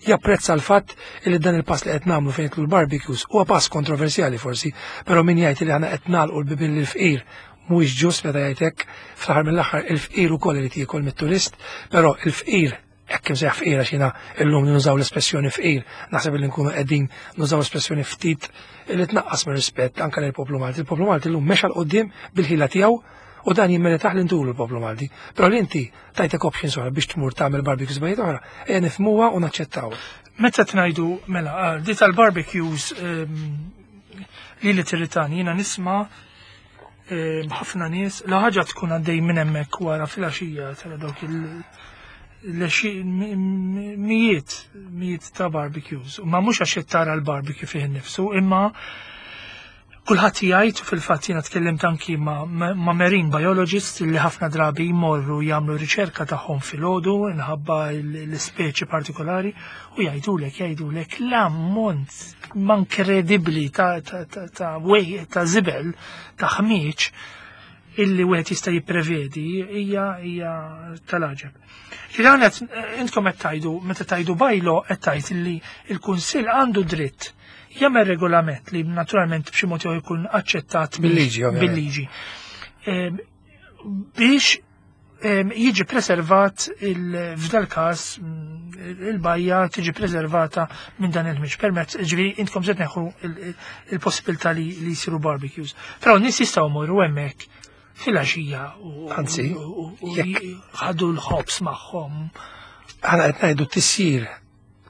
japprezza l-fatt li dan il-pass li qed nagħmlu fejn jidħlu l-barbecues huwa pass kontroversjali forsi, però min jgħid li aħna qed nagħlqu l-bibien lill-fqir mhuwiex ġust meta jgħid hekk, fl-aħħar mill-aħħar il-fqir ukoll irid jiekol mit-turist, però il-fqir hekk imsejjaħ fqir għax jiena illum nużaw l-espressjoni fqir, naħseb li nkunu qegħdin nużaw espressjoni ftit li tnaqqas mir-rispett anke lill-poplu Malti. Il-poplu Malti llum mexa 'l quddiem bil-ħila tiegħu u dan jimmeritah li ntulu l-poplu Malti. Però li inti tajtek options oħra biex tmur tagħmel barbecues bajjiet oħra, ejja nifhmuha u naċċettawha. Meta tnajdu mela ah, di tal-barbecues ehm, li li tirritani jiena nisma' ehm, ħafna nies la ħaġa tkun għaddej minn hemmhekk wara filgħaxija tara dawk il mijiet mijiet ta' barbecues. Ma mhux għax tara l-barbecue fih innifsu, imma Kulħadd jgħid, u fil-fatt jiena tkellimt anki ma', ma marine biologists li ħafna drabi jmorru jagħmlu riċerka tagħhom filgħodu inħabba l-ispeċi partikolari u jgħidulek jgħidulek l-ammont inkredibbli ta' ta' ta' ta' wej ta' żibel ta' ħmieġ illi wieħed jista' jipprevedi hija hija tal-għaġeb. Ġifieri intkom qed tgħidu meta tgħidu bylaw qed tgħid illi l-Kunsill għandu dritt jagħmel regolament li naturalment b'xi mod jew jkun aċċettat bil-liġi bil-liġi. Ehm, biex ehm, jiġi preservat f'dal każ mm, il-bajja tiġi preservata minn dan il-ħmiġ permezz, ġifieri intkom se tneħħu il-possibilità li jsiru barbecues. Però n-nies jistgħu jmorru hemmhekk filgħaxija u anzi ħadu l-ħobs magħhom. Aħna qed ngħidu tisjir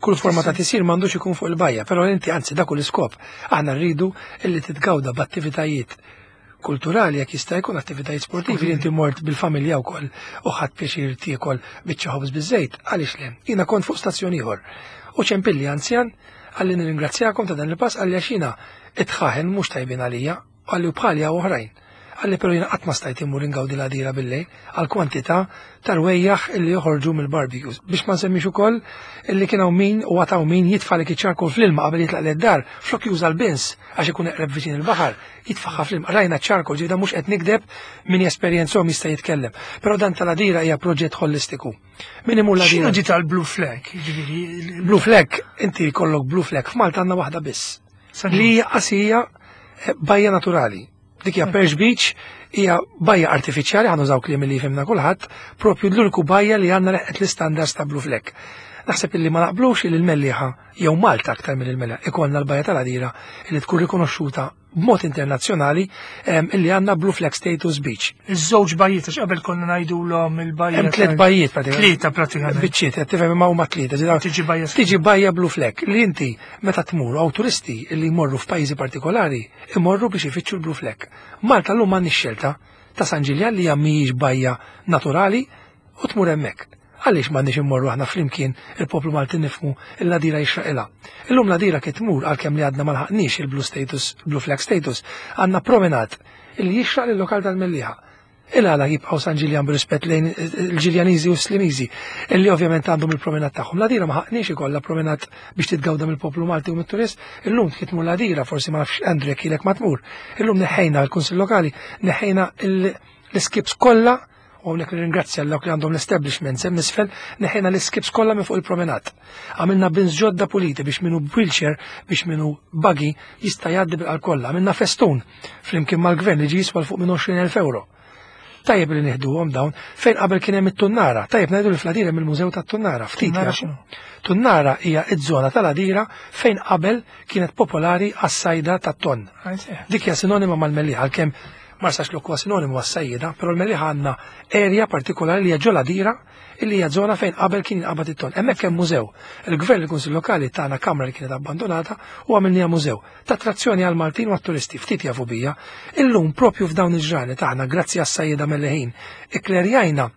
kull forma ta' tisir m'għandux ikun fuq il-bajja, però inti anzi dak l-iskop. Aħna rridu illi titgawda b'attivitajiet kulturali jekk jista' jkun attivitajiet sportivi li inti mort bil-familja wkoll u ħadd pjaċir tiekol biċċa ħobż biż-żejt, għaliex le? Jiena kont fuq stazzjon ieħor. U ċempilli anzjan għalli nirringrazzjakom ta' dan il-pass għalli għax jiena it-tħaħen mhux tajbin għalija Qalli u bħali hawn oħrajn. Qalli però jiena qatt ma stajt immur ingawdi l-għadira billejl għal kwantità ta' rwejjaħ illi joħorġu mill-barbecues. Biex ma nsemmix ukoll illi kien hawn min u għad hawn min jitfa' lik iċ-charcoal fl-ilma qabel jitlaq led-dar flok juża l-bins għax ikun eqreb viċin il-baħar, jitfagħha fl-ilma. Rajna ċ-charcoal, ġifieri dan mhux qed nigdeb min jesperjenzhom jista' jitkellem. Però dan tal-għadira hija proġett ħolistiku. Min imur l-għadira. X'inhu di tal-blue flag? Ġifieri Blue flag, inti jkollok blue flag f'Malta għandna waħda biss. Li hija qasija eh, bajja naturali. Dik hija Perch Beach, hija bajja artifiċjali, ħa nużaw kliem li jifhimna kulħadd, propju l-uniku bajja li għandna leħqet l-istandards ta' Blue Flag. Naħseb illi ma naqblux li l-Mellieħa jew Malta aktar mill il-Mellieħa ikollna l-bajja tal-Għadira li tkun rikonoxxuta b'mod internazzjonali illi għandna Blue Flag Status Beach. Iż-żewġ bajjiet għax qabel konna ngħidulhom il-bajja. Hemm tliet bajjiet pratikament. Tlieta pratikament. Biċċiet, qed tifhem imma huma tlieta. Tiġi bajja. Tiġi bajja Blue Flag li inti meta tmur hawn turisti li jmorru f'pajjiżi partikolari imorru biex ifittxu l-Blue Flag. Malta llum m'għandniex xelta ta' San Ġiljan li hija mhijiex bajja naturali u tmur hemmhekk. Għaliex m'għandniex immorru aħna flimkien il-poplu Malti nifhmu l-Għadira jixraqilha. Illum l-Għadira kif tmur għalkemm li għadna ma lħaqniex il-blue status, blue flag status, għandna promenade illi jixraq lil-lokal tal-Mellieħa. Il-għala jibqgħu San Ġiljan b'rispett lejn il-Ġiljaniżi u s-Slimiżi illi ovvjament għandhom il-promenade tagħhom. L-Għadira ma ħaqniex ikollha promenade biex titgawda mill-poplu Malti u mit-turist. Illum kif tmur l-Għadira, forsi ma nafx Andrew jekk ilek ma tmur. Illum neħħejna l-Kunsill Lokali, neħħejna l-iskips kollha U hawnhekk nirringrazzja l dawk li għandhom l-establishments hemm isfel, neħejna l-iskips kollha minn fuq il-promenat. Għamilna bins ġodda puliti biex minu wheelchair, biex minu buggy jista' jgħaddi bil kollha. Għamilna festun flimkien mal-gvern li ġi jiswa fuq minn 20,000 euro. Tajjeb li nieħduhom dawn fejn qabel kien hemm it-tunnara. Tajjeb ngħidu li fl-Għadira hemm il-Mużew tat-Tunnara. Ftit Tunnara jafu. x'inhu? Tunnara hija ż-żona tal-Għadira fejn qabel kienet popolari għas-sajda tat-tonn. Dik hija sinonima mal-Mellieħa għalkemm Marsaxlokk huwa sinonimu għas-sajjieda, però l-Mellieħa għandna area partikolari li hija ġol-Għadira illi hija żona fejn qabel kien jinqabad it-tonn. Hemmhekk hemm mużew. Il-Gvern il-Kunsill Lokali tana kamra li kienet abbandonata u għamilniha mużew. Ta' attrazzjoni għal Maltin u għat-turisti, ftit jafu bija. Illum propju f'dawn il-ġranet aħna grazzi għas-sajjieda Melleħin ikklerjajna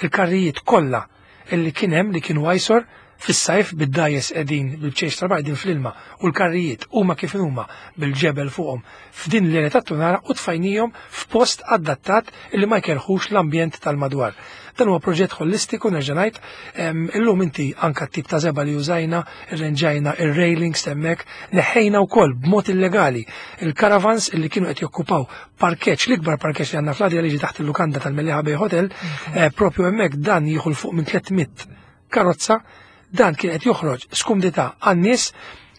il-karrijiet kollha illi kien hemm li kienu għajsor fis-sajf bid-dgħajjes qegħdin bil-bċejx tal-baħar qegħdin fl-ilma u l-karrijiet huma kif huma bil-ġebel fuqhom f'din l-area tat-tunara u tfajnihom f'post adattat illi ma jkerħux l-ambjent tal-madwar. Dan huwa proġett holistiku nerġa' ngħid, illum inti anka t-tip ta' żebgħa li użajna, irrenġajna ir-railings hemmhekk, neħħejna wkoll b'mod illegali il-caravans illi kienu qed jokkupaw parkeġġ, l-ikbar parkeġġ li għandna fl-Għadira li jiġi taħt il-lukanda tal-Mellieħa Bay Hotel, propju hemmhekk dan jieħu 'l fuq minn 300 karozza, dan kien qed joħroġ skumdità għan-nies,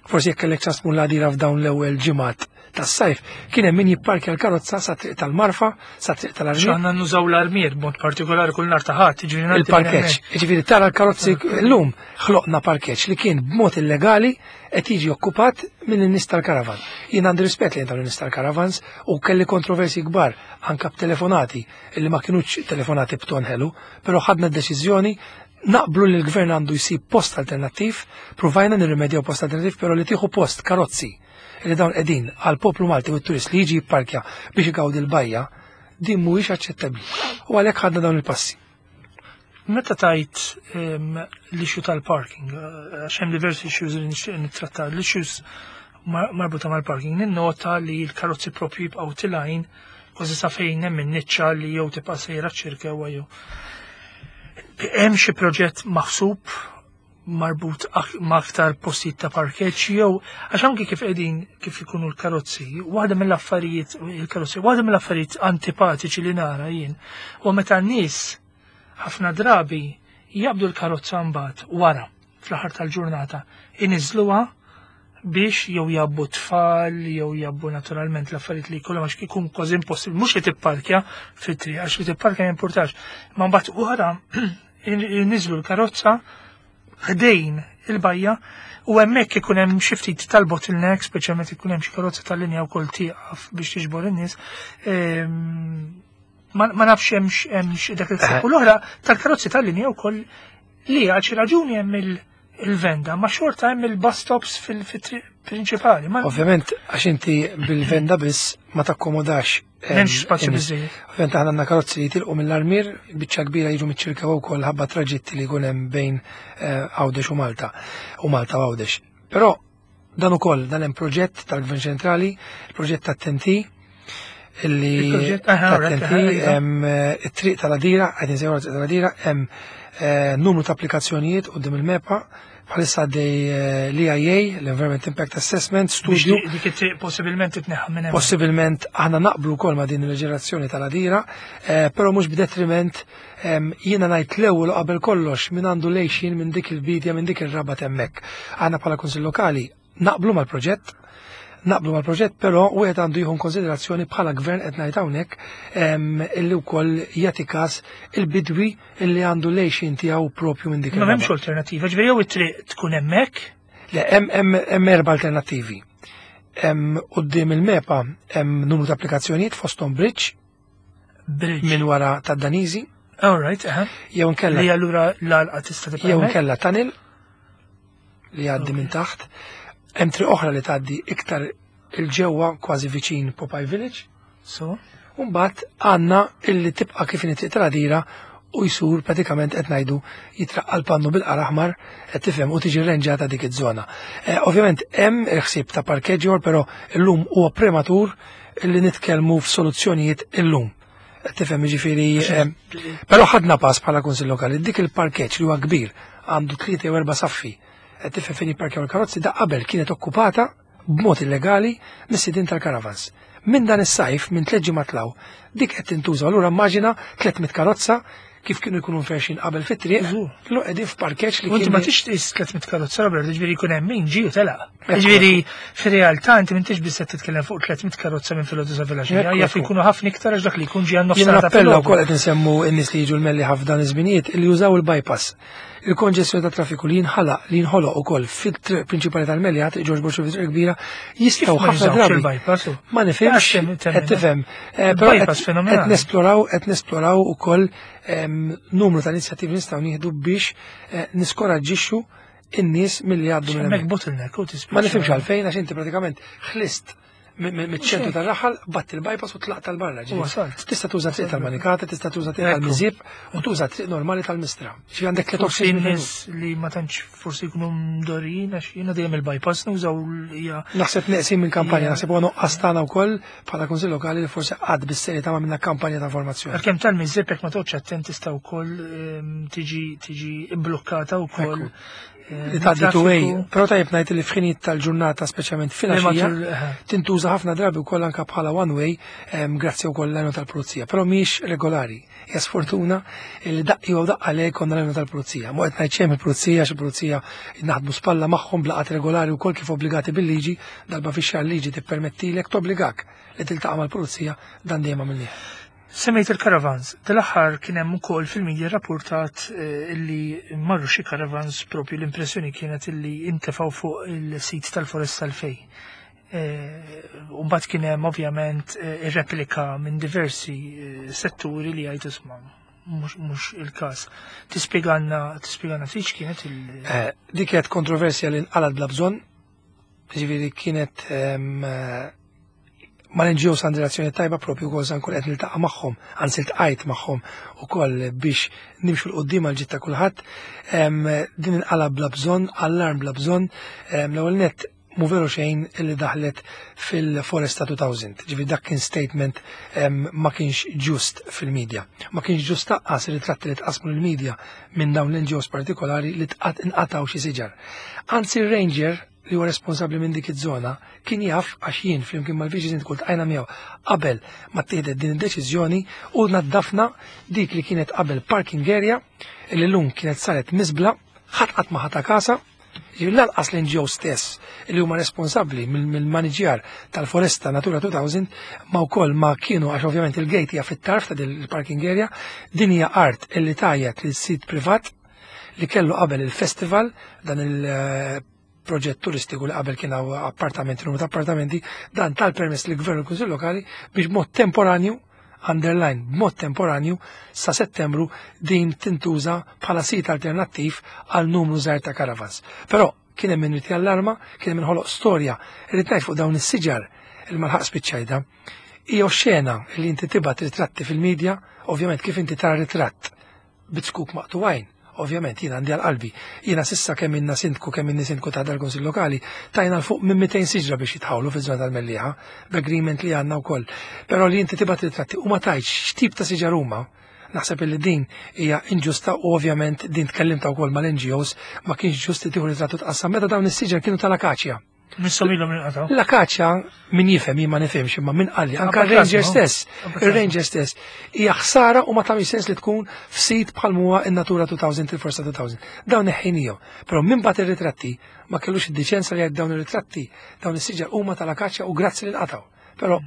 forsi jekk kellek ċans tmur l-Għadira f'dawn l-ewwel ġimgħat tas-sajf, kien hemm min jipparkja l-karozza sa triq tal-Marfa, sa triq tal-Armier. Għandna nużaw l-Armier b'mod partikolari kull nhar ta' Ħadd, jiġifieri ngħaddi minn Il-parkeġġ, hemmhekk. jiġifieri tara l-karozzi llum ħloqna parkeġġ li kien b'mod illegali qed jiġi okkupat minn in-nies tal-karavan. Jien għandi rispett lejn dawn in-nies tal-karavans u kelli kontroversi kbar anka b'telefonati illi ma kinux telefonati b'ton ħelu, però ħadna d-deċiżjoni naqblu li l-gvern għandu jsib post alternattiv, provajna nirrimedjaw post alternattiv, però li tieħu post karozzi li dawn qegħdin għal poplu Malti u t-turist li jiġi jipparkja biex igawdi l-bajja, din mhuwiex aċċettabbli. U għalhekk ħadna dawn il-passi. Meta tajt l-issue tal-parking, għax hemm diversi issues li nixtieq nittratta, l-issues marbuta mal-parking, ninnota li l-karozzi propju jibqgħu tilgħin kważi sa fejn hemm in-niċċa li jew tibqa' sejra ċirkewa jew. Hemm xi proġett maħsub marbut ma' aktar postijiet ta' parkeġġ jew għax anki kif qegħdin kif ikunu l-karozzi, waħda mill-affarijiet il-karozzi, waħda mill-affarijiet antipatiċi li nara jien u meta n-nies ħafna drabi jaqbdu l-karozza mbagħad wara fl-aħħar tal-ġurnata iniżluha biex jew jabbu tfal, jew jabbu naturalment l-affarijiet li jkollhom għax ikun kważi impossibbli, mhux li tipparkja fit-triq, għax li tipparkja ma jimpurtax. Ma mbagħad wara iniżlu l-karozza ħdejn il-bajja u hemmhekk ikun hemm xi ftit tal-bottleneck, speċjalment ikun hemm xi karozza tal-linja wkoll tieqaf biex tiġbor in-nies. Ma nafx hemmx dak il-ħsieb. U l-oħra tal-karozzi tal-linja wkoll li għal xi raġuni hemm il-venda, ma xorta hemm il-bus stops fil-triq prinċipali. Ovvjament, għax inti bil-venda biss ma takkomodax. M'hemmx spazju biżejjed. Ovvjament aħna għandna karozzi li jitilqu mill-Armier, biċċa kbira jiġu miċ-Ċirkewwa wkoll ħabba traġitti li jkun hemm bejn Għawdex u Malta, u Malta u Għawdex. Però dan ukoll dan hemm proġett tal-Gvern Ċentrali, il-proġett tat-TNT, illi Il-proġett, aha, tat-TNT, alright, aha, iva. hemm it-triq tal-Għadira, qegħdin insejħu triq tal-Għadira, hemm numru ta' applikazzjonijiet quddiem il-MEPA, bħalissa għaddej l-EIA, l-Environment Impact Assessment, Biex studju. dik it-triq possibilment titneħħa minn hemm. Possibilment aħna naqblu wkoll ma' din il-leġiżlazzjoni tal-Għadira, però mhux b'detriment jiena ngħid l-ewwel u qabel kollox min għandu lejxin minn dik il-bidja, minn dik ir-rabat hemmhekk. Aħna bħala Kunsill Lokali naqblu mal-proġett, naqblu mal-proġett, però wieħed għandu jieħu konsiderazzjoni bħala gvern qed ngħid hawnhekk illi wkoll jagħti każ il-bidwi illi għandu lejxin tiegħu propju minn dik Ma m'hemmx ir-raba. alternattiva, ġifieri jew it-triq tkun hemmhekk? Le, hemm erba' alternattivi. Hemm quddiem il-MEPA hemm numru ta' applikazzjonijiet fosthom bridge. Bridge. Minn wara tad-Daniżi. All right, aha. Jew inkella Li allura l-għalqa tista' tibqa' Jew hemmhekk? inkella tunnel li jgħaddi minn taħt. Hemm triq oħra li tgħaddi iktar il-ġewwa kważi viċin Popeye Village. So. U mbagħad għandna illi tibqa' kif inhi triq tal-Għadira u jsur pratikament qed ngħidu jitraqqa l-pannu bil-qar aħmar qed tifhem u tiġi rrenġata dik iż-żona. Ovvjament hemm il-ħsieb ta' parkeġġ ieħor, però illum huwa prematur illi nitkellmu f'soluzzjonijiet illum. Qed tifhem jiġifieri, però ħadna pass bħala Kunsill Lokali, dik il-parkeġġ li huwa kbir għandu 3 jew 4 saffi. Qed tifhem fejn jipparkjaw il-karozzi da qabel kienet okkupata b'mod illegali mis-sidien tal-karavans. Minn dan is-sajf, minn 3 ġimgħat law, dik qed tintuża. Allura immaġina 300 karozza kif kienu jkunu mferxin qabel fit-triq, kienu qegħdin f'parkeġġ li kien. Inti ma tix 300 karozza Robert, ġifieri jkun hemm min ġie u telaq. Ġifieri fir-realtà inti m'intix biss qed titkellem fuq 300 karozza minn filgħodu sa filgħaxija, jaf jkunu ħafna iktar għax dak li jkun ġie għan nofs Nappella wkoll qed insemmu n-nies li jiġu l-melli ħafna iż-żminijiet li jużaw il-bypass. Il-konġestjoni ta' traffiku li jinħalaq li jinħoloq ukoll fit-triq prinċipali tal-Melja, triq Ġorġ Borċu fit-triq kbira, jistgħu ħafna drabi. Ma nifhimx, qed tifhem. Eh, però qed nesploraw qed nesploraw ukoll numru ta' inizjattivi nistgħu nieħdu biex eh, niskoraġġixxu in-nies milli jgħaddu minn hemmhekk. Bottleneck u Ma nifhimx għalfejn għax inti pratikament ħlist miċ-ċentru tar-raħal, batt il-bypass u tlaqt tal-barra. Tista' tuża triq tal-Manikata, tista' tuża triq tal-Miżib u tuża triq normali tal-Mistra. Xi għandek tliet forsi nies li ma tantx forsi jkunu mdorin għax jiena dejjem il-bypass nużaw hija. Naħseb neqsin minn kampanja, naħseb huwa nuqqas tagħna wkoll bħala Kunsill Lokali li forsi qatt bis-serjetà ma minna kampanja ta' informazzjoni. Għalkemm tal-Miżib jekk ma toqgħodx attent tista' wkoll ehm, tiġi tiġi imblukkata wkoll. Li tgħaddi two way. Però tajjeb ngħid li f'ħinijiet tal-ġurnata speċjalment filgħaxija eh. tintuża ħafna drabi wkoll anke bħala one way grazzi wkoll l-għajnuna tal-pulizija, però mhix regolari. Hija sfortuna li daqqa jew daqqa le konna l-għajnuna tal-pulizija. Mhu qed ngħid xejn il-pulizija għax il-pulizija naħdmu spalla magħhom blaqat regolari wkoll kif obbligati bil-liġi, darba fix-xahar liġi tippermettilek tobbligak li tiltaqa' mal-pulizija dan dejjem għamilnieh. Semmejt il-caravans. Dal-aħħar kien hemm ukoll fil-media rapportat eh, illi marru xi caravans propju l-impressjoni kienet illi intefgħu fuq il-sit tal-Foresta l-Fej. Eh, u mbagħad kien hemm ovvjament eh, ir-replika minn diversi setturi li jgħidu isma' mhux il-każ. Tispjegalna tispjegalna ftit kienet il- Dik kienet kontroversja li nqalgħet bla bżonn, ġifieri kienet ehm, mal-NGOs għandi relazzjoni tajba propju wkoll sa nkun qed niltaqa' magħhom, anzi ltqajt magħhom ukoll biex nimxu 'l quddiem għal ġid ta' kulħadd. Din inqala bla bżonn, allarm bla bżonn. L-ewwel nett mhu veru xejn li daħlet fil-Foresta 2000. Ġifieri dak kien statement ma kienx ġust fil-medja. Ma kienx ġust taqqas ritratti li tqasmu l-medja minn dawn l-NGOs partikolari li tqat inqataw xi siġar. Anzi r-ranger li huwa responsabbli minn dik iż-żona kien jaf għax jien flimkien mal-Viċi Sindku ltqajna miegħu qabel ma ttieħdet din id-deċiżjoni u naddafna dik li kienet qabel parking area li llum kienet saret miżbla ħadd qatt ma ħata kasa Ġifieri lanqas l-NGO stess li huma responsabbli mill-maniġjar tal-foresta Natura 2000 ma wkoll ma kienu għax ovvjament il-gate hija fit-tarf ta' din il-parking area, din hija art illi tajjeb lil sit privat li kellu qabel il-festival dan il-proġett turistiku li qabel kien hawn appartamenti, numru ta' appartamenti, dan tal-permess li gvern u l-Kunsill Lokali biex b'mod temporanju underline b'mod temporanju sa settembru din tintuża bħala sit alternattiv għal numru żgħir ta' caravans. Però kien hemm min allarma, kien hemm ħoloq storja, irrid ngħid fuq dawn is-siġar il malħaq spiċċajda. Hija xena li inti tibgħat ritratti fil-medja, ovvjament kif inti tara ritratt bit-zkuk maqtugħin. Ovvjament, jiena għandi għal qalbi. Jiena sissa kemm inna sindku kemm inni sindku ta' dal-Kunsill Lokali, tajna l fuq minn 200 siġra biex jitħawlu fiż-żona tal-Mellieħa, b'agreement li għandna wkoll. Però li inti tibgħat ritratti u ma tgħidx x'tip ta' siġar huma, naħseb illi din hija inġusta u ovvjament din tkellimta wkoll mal-NGOs ma kienx ġust li tieħu ritratt u tqassam meta dawn is-siġar kienu tal-akaċja. Misshom ilhom inqatgħu. L-akaċja min jifhem jien ma nifhimx imma min qalli anke r-ranger stess, ir-ranger stess hija ħsara u ma tagħmilx sens li tkun f'sit bħal huwa in-Natura 2000 il-Foresta 2000. Dawn neħħinihom. Però min bagħat ir-ritratti ma kellux id-diċenza li jgħid dawn ir-ritratti, dawn is-siġar huma tal-akaċja u grazzi li nqatgħu. Però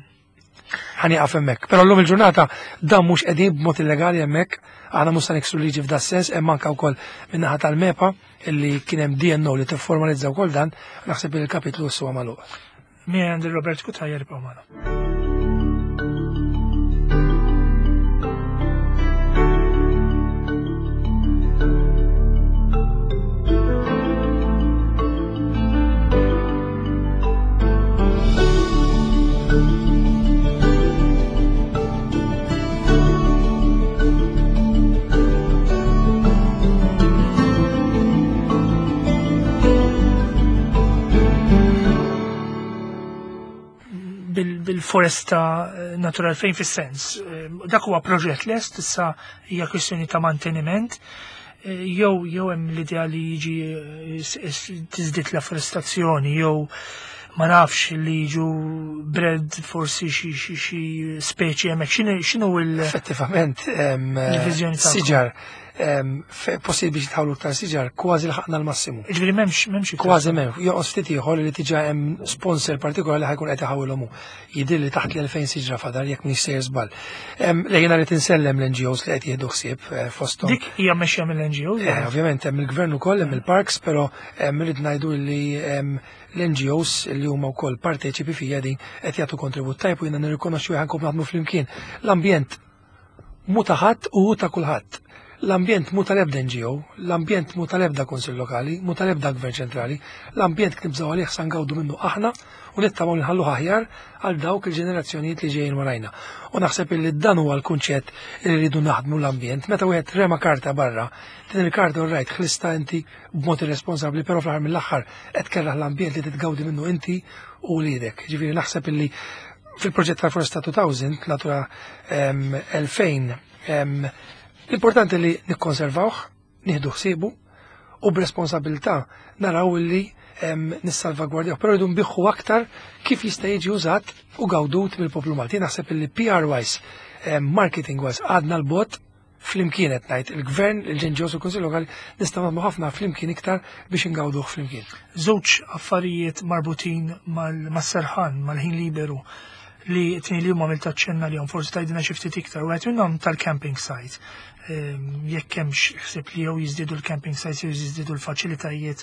ħanieqaf hemmhekk. Però llum il-ġurnata dan mhux qegħdin b'mod illegali hemmhekk, aħna mhux se niksru liġi f'da sens, hemm anke wkoll min-naħa tal-MEPA illi kien hemm DNO li tifformalizza wkoll dan, naħseb li l-kapitlu issa huwa magħluq. Minn Robert Cutajar ibqgħu magħna. bil-foresta eh, natural fejn fis-sens. Eh, dak huwa proġett lest issa hija kwistjoni ta' manteniment. Eh, jew jew hemm l-idea li jiġi tiżdied l-afforestazzjoni jew Ma nafx li jiġu bred forsi xi speċi hemmhekk. X'inhu il- Effettivament, Il-viżjoni tagħkom. siġar, possibbli biex jitħawlu iktar siġar, kważi lħaqna l-massimu. Ġifieri m'hemmx iktar. Kważi m'hemm, jonqos ftit ieħor li diġà hemm sponsor partikolari li ħa jkun qed iħawilhom hu. Jidhir li taħt l-2000 siġra fadal jekk mhix sejjer żball. Li jiena rrid insellem l-NGOs li qed jieħdu ħsieb fosthom. Dik hija mexxija mill-NGOs? Ovvjament hemm il-gvern ukoll, hemm il-parks, però rrid ngħidu li l-NGOs li huma wkoll parteċipi fija din qed jagħtu kontribut tajb u jiena nirrikonoxxu ħa nkomplu naħdmu flimkien. L-ambjent mhu ta' ħadd u hu ta' kulħadd. L-ambjent mhu tal-ebda NGO, l-ambjent mhu tal-ebda Kunsill Lokali, mhu tal-ebda Gvern Ċentrali, l-ambjent kif nibżgħu għalih sa ngawdu minnu aħna u nittamaw li nħalluh aħjar għal dawk il-ġenerazzjonijiet li ġejjin warajna. U naħseb illi dan huwa l-kunċett li rridu naħdmu l-ambjent. Meta wieħed rema karta barra, din il-karta all right ħlista inti b'mod irresponsabbli, però fl-aħħar mill-aħħar qed tkerraħ l-ambjent li titgawdi minnu inti u wliedek. Ġifieri naħseb illi fil-proġett tal-Foresta 2000, Natura 2000, l-importanti li nikkonservawh, nieħdu ħsiebu u b'responsabilità naraw li nissalvagwardjaw, però rridu nbiħħu aktar kif jista' jiġi użat u gawdut mill-poplu Malti. Naħseb illi PR wise, marketing wise, għadna l-bot flimkien qed ngħid il-gvern, il-NGOs u l-Kunsill Lokali nistgħu nagħmlu ħafna flimkien iktar biex ingawduh flimkien. Żewġ affarijiet marbutin mas-serħan, mal-ħin liberu li tnejn li huma għamilt aċċenna li forsi tgħidilna xi ftit iktar, wieħed minnhom tal-camping site. Jekk hemmx ħsieb li jew jiżdiedu l-camping sites jew jiżdiedu l-faċilitajiet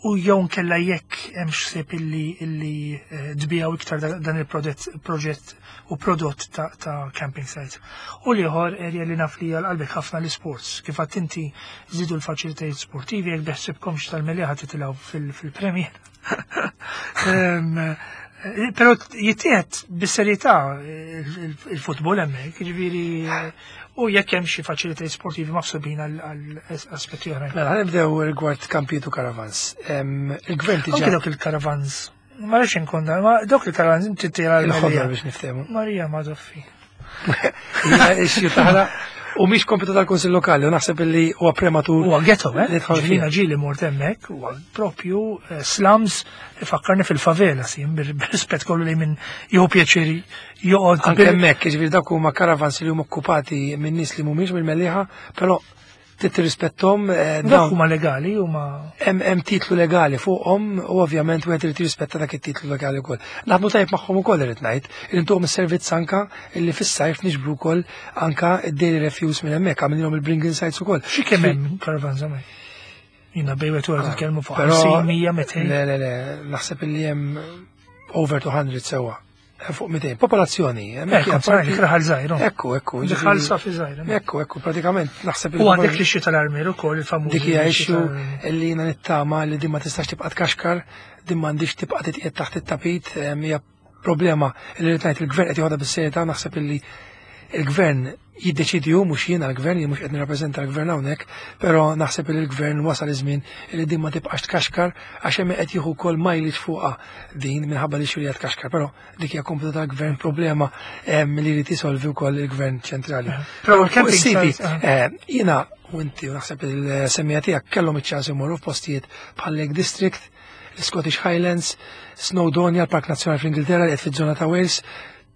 u jew nkella jekk hemmx ħsieb illi tbiegħu iktar dan il-proġett u prodott ta' camping sites. U l-ieħor area li naf li għal qalbek ħafna l-sports. Kif għedt inti żidu l-faċilitajiet sportivi jekk beħsibkomx tal-Mellieħa titilgħu fil-Premier. Però jittieħed bis-serjetà il-futbol hemmhekk, jiġifieri u jekk hemm xi faċilitajiet sportivi maħsubin għal aspetti oħrajn. Mela, nibdew rigward kampijiet u caravans. Il-gvern diġà. Anke dawk il-caravans. Ma rridx inkun dan, ma dawk il-caravans inti tira l-ħodor biex niftehmu. Marija Madoffi. Hija issue taħla u mhix kompetu tal-Kunsill Lokali u naħseb illi huwa prematur. Huwa ghetto, eh? Nidħol Ġifieri fih. ġieli mort hemmhekk, huwa propju slums ifakkarni fil-favela, sim, bir-rispett kollu li minn jieħu pjaċir joqgħod Anke hemmhekk, jiġifieri dawk huma caravans li huma okkupati minn nies li mhumiex mill-Mellieħa, però trid tirrispettom Dawk dawn huma legali, huma Hemm titlu legali fuqhom u ovvjament wieħed irid jirrispetta dak it-titlu legali wkoll. Naħdmu tajjeb magħhom ukoll irid ngħid, irid intuhom is-servizz anka illi fis-sajf niġbru wkoll anka id-daily refuse minn hemmhekk, għamilhom il-bring in sites ukoll. Xi kemm hemm caravans hemmhekk? Jiena bejn wieħed u ieħor nitkellmu fuq Però 50, 100, 200. Le, le, le, naħseb illi hemm over 200 sewwa. Fuq 200. Popolazzjoni, hemmhekk hija Ekku, parti- raħal żgħir, oh. Ekku, ekku, Raħal ġifieri- safi żgħir, hemmhekk. Ekku, ekku, pratikament naħseb U għandek li xi tal-armier ukoll il-famuż. Dik hija li xi issue tal-armier. li jiena nittama li din ma tistax tibqa' tkaxkar, din m'għandix tibqa' titqiegħed taħt it-tapit, hija problema li rrid ngħid il-gvern qed joħodha bis-serjetà, naħseb illi il-gvern jiddeċidi hu, mhux jiena l-gvern, jien mhux qed nirrappreżenta l-gvern hawnhekk, però naħseb li l-gvern wasal iż-żmien li din ma tibqax tkaxkar għax hemm qed jieħu wkoll mileage fuqha din minħabba li xulija tkaxkar, però dik hija kompetu tal-gvern, problema li jrid jisolvi wkoll il-gvern ċentrali. Però Fuq l-camping is-siti, sites, ah. jiena u inti u naħseb il-semmija tiegħek kellhom iċ-ċans imorru f'postijiet bħal Lake District, l-Scottish Highlands, Snowdonia, l-Park Nazzjonali fl-Ingilterra li qed fiż-żona ta' Wales.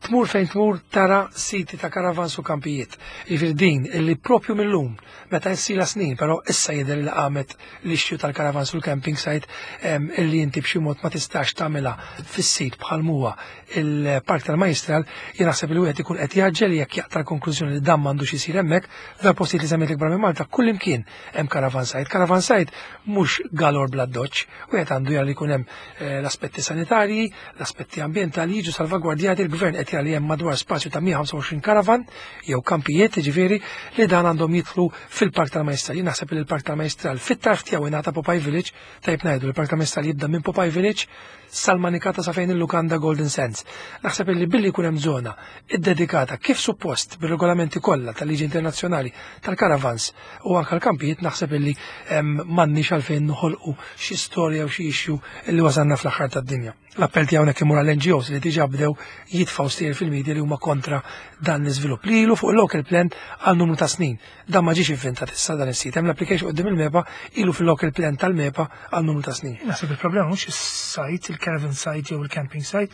Tmur fejn tmur tara siti ta' caravans u kampijiet. Jiġifieri din illi propju mill-lum, meta issila snin, però issa jidher li qamet l-issue tal-caravans u l-camping site, illi inti b'xi mod ma tistax tagħmilha fis-sit bħal huwa il-Park tal-Majstral, jien naħseb li wieħed ikun qed jaġġel jekk jaqta' l-konklużjoni li dan m'għandux isir hemmhekk, f'dal postijiet li semmejt ikbar minn Malta, kull imkien hemm caravan site. Caravan site mhux galor bla doċċ, wieħed għandu jara li jkun hemm l-aspetti sanitarji, l-aspetti ambjentali jiġu salvagwardjati. Il-gvern qed jara li hemm madwar spazju ta' 125 caravan jew kampijiet, jiġifieri li dan għandhom jidħlu fil-Park tal-Majstral. Jien naħseb li l-Park tal-Majstral fit-tarf tiegħu ingħata Popeye Village, tajb ngħidu l-Park tal-Majstral jibda minn Popeye Village sal-Manikata sa fejn il-Lukanda Golden Sands. Naħseb li billi jkun hemm żona iddedikata kif suppost bir-regolamenti kollha tal-liġi internazzjonali tal-caravans u anke l-kampijiet, naħseb illi m'għandniex għalfejn noħolqu xi storja u xi issue li wasalna fl-aħħar tad-dinja. L-appell tiegħu hawnhekk imur għall-N G Os li diġà bdew jitfgħu stejjer fil-media li huma kontra dan l-iżvilupp li ilu fuq il-local plan għal numru ta' snin. Dan ma ġiex inventat issa dan is-sit. Hemm l-application quddiem il-MEPA ilu fil-local plan tal-MEPA għal numru ta' snin. Naħseb il-problema mhux is-site, il-caravan site jew il-camping site,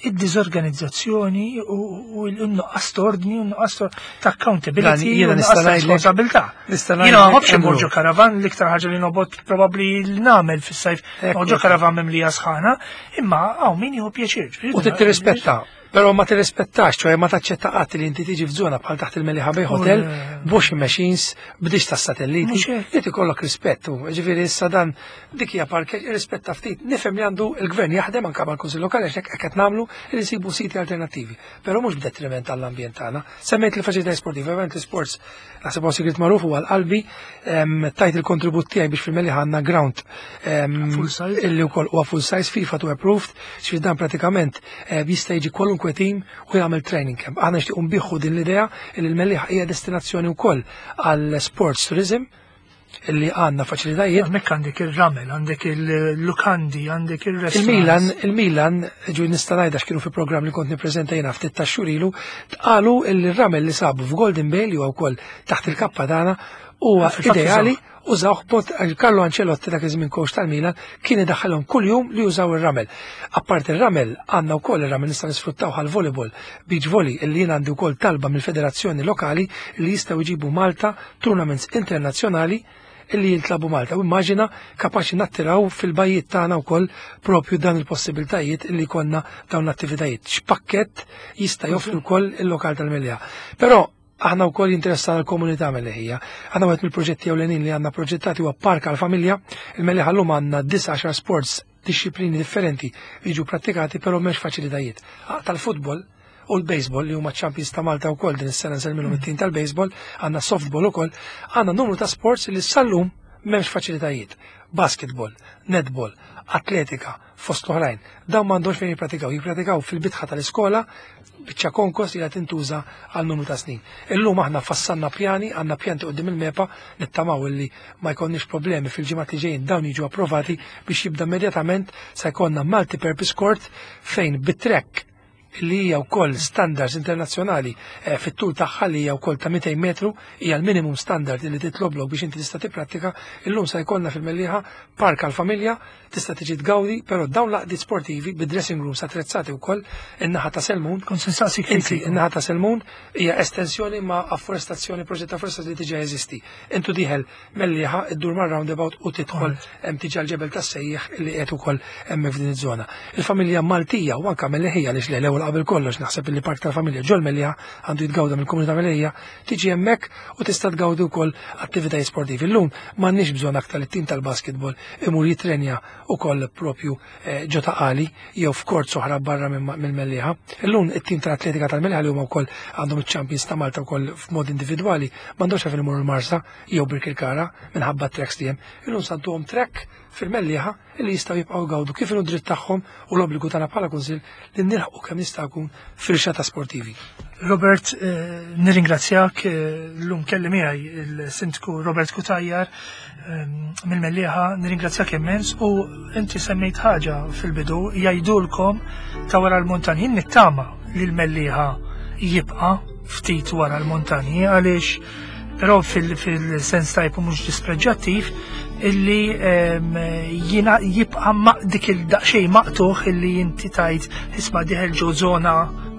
id-diżorganizzazzjoni u l-nuqqas ordni u n-nuqqas ta' accountability u n-nuqqas ta' responsabilità. Jiena ma nħobbx immur ġo karavan, l-iktar ħaġa li nobgħod probabbli li nagħmel fis-sajf ġo karavan mimlija sħana, imma hawn min jieħu pjaċir. U tirrispetta. Però ma tirrispettax, ċoħe ma taċċetta qatt li inti tiġi f'żona bħal taħt il-Mellieħa Bay Hotel, b'washing machines, b'dix tas-satelliti, li tikollok rispett. Ġifieri issa dan dik hija parkeġġ irrispetta ftit. Nifhem li għandu il-gvern jaħdem anke mal-Kunsill Lokali għax hekk qed nagħmlu li nsibu siti alternattivi, però mhux b'detriment għall-ambjent tagħna. Semmejt il-faċilitajiet sportivi, ovvjament l-isports naħseb huwa sigriet magħruf huwa l-qalbi, tajt il-kontribut tiegħi biex fil-Mellieħa għandna ground illi wkoll huwa full size FIFA to approved, xi dan pratikament eh, jista' jiġi kwalunkwe team u jagħmel training camp. Aħna nixtiequ nbiħħu din l-idea li l-Mellieħa hija destinazzjoni wkoll għal sports tourism illi għandna faċilitajiet. Hemmhekk għandek ir-ramel, għandek il-lukandi, għandek il-restaurants. Il-Milan, il-Milan, ġu nista' ngħidha x'kienu fi programm li kont nippreżenta jiena ftit ta' xhur ilu, tqalu li r-ramel li sabu f'Golden Bay li huwa wkoll taħt il-kappa tagħna huwa ideali użawh bot Carlo Ancelotti dak iż-żmien coach tal-Milan kien idaħħalhom kuljum li jużaw ir-ramel. Apparti ir-ramel għandna wkoll ir-ramel nista' nisfruttaw għal volleyball, beach volley illi jien għandi wkoll talba mill-federazzjoni lokali li jistgħu jġibu Malta tournaments internazzjonali illi jintlabu Malta. U immaġina kapaċi nattiraw fil-bajjiet tagħna wkoll propju dan il-possibiltajiet illi konna dawn l-attivitajiet. X'pakkett jista' joffri wkoll il-lokal tal-Mellieħa. Però aħna wkoll jinteressana l-komunità Melleħija. Aħna wieħed mill-proġetti ewlenin li għandna proġettati huwa park għall-familja. Il-Mellieħa llum għandna 19 sports dixxiplini differenti li jiġu prattikati però m'hemmx faċilitajiet. Tal-futbol u l-baseball li huma champions ta' Malta wkoll din is-sena nsellmilhom it-tim tal-baseball, għandna softball ukoll, għandna numru ta' sports li sal-lum m'hemmx faċilitajiet. Basketball, netball, atletika, fost l-oħrajn. Dawn m'għandhomx fejn jippratikaw, jippratikaw fil-bitħa tal-iskola biċċa konkos li qed tintuża għal numru ta' snin. Illum aħna fassanna pjani, għandna pjanti qudiem il-MEPA nittamaw illi ma jkollniex problemi fil-ġimgħat li ġejjin dawn jiġu approvati biex jibda immedjatament se jkollna multi-purpose court fejn bit-track li hija wkoll standards internazzjonali eh, fit-tul tagħha li hija wkoll ta' 200 metru hija l-minimum standard li titloblok biex inti tista' tipprattika, illum se jkollna fil-Mellieħa park għall-familja tista' tiġi tgawdi, però dawn l-għaqdiet sportivi bi dressing rooms attrezzati wkoll in-naħa ta' Selmun. Kont se nsaqsik Inti, in-naħa ta' Selmun hija estensjoni ma' afforestazzjoni, proġett ta' afforestazzjoni li diġà jeżisti. Intu dieħel Mellieħa iddur mar-roundabout u tidħol hemm tiġa l-ġebel tas-sejjieħ li qiegħed ukoll hemmhekk f'din iż-żona. Il-familja Maltija u anke Melleħija għaliex le l-ewwel qabel kollox naħseb li park tal-familja ġol Mellieħa għandu jitgawda mill-komunità Melleħija tiġi hemmhekk u tista' tgawdi wkoll attivitajiet sportivi. Illum m'għandniex bżonn aktar li t-tim tal-basketball imur jitrenja ukoll propju eh, ġo ta' qali jew f'kort oħra barra mill-Mellieħa. Illum it-tim tal-atletika tal-Mellieħa li huma wkoll għandhom iċ-champions ta' Malta wkoll f'mod individwali m'għandhomx għalfejn imorru l-Marsa jew Birkirkara minħabba t-tracks li hemm. Illum santuhom track fil-Mellieħa li jistgħu jibqgħu jgawdu kif inhu dritt tagħhom u l-obbligu tagħna bħala kunsill li nilħqu kemm jista' jkun firxa ta' sportivi. Robert, eh, nirringrazzjak eh, l-lum kelli miegħi il-Sindku Robert Cutajar eh, mill-Mellieħa, nirringrazzjak immens u inti semmejt ħaġa fil-bidu jgħidulkom ta' wara l-montanji nittama li l-Mellieħa jibqa' ftit wara l-montanji għaliex però fil-sens tajb u mhux dispreġġattiv illi jina jibqa' dik il-daqsxejn maqtuħ illi inti tajt isma' diħel ġo żona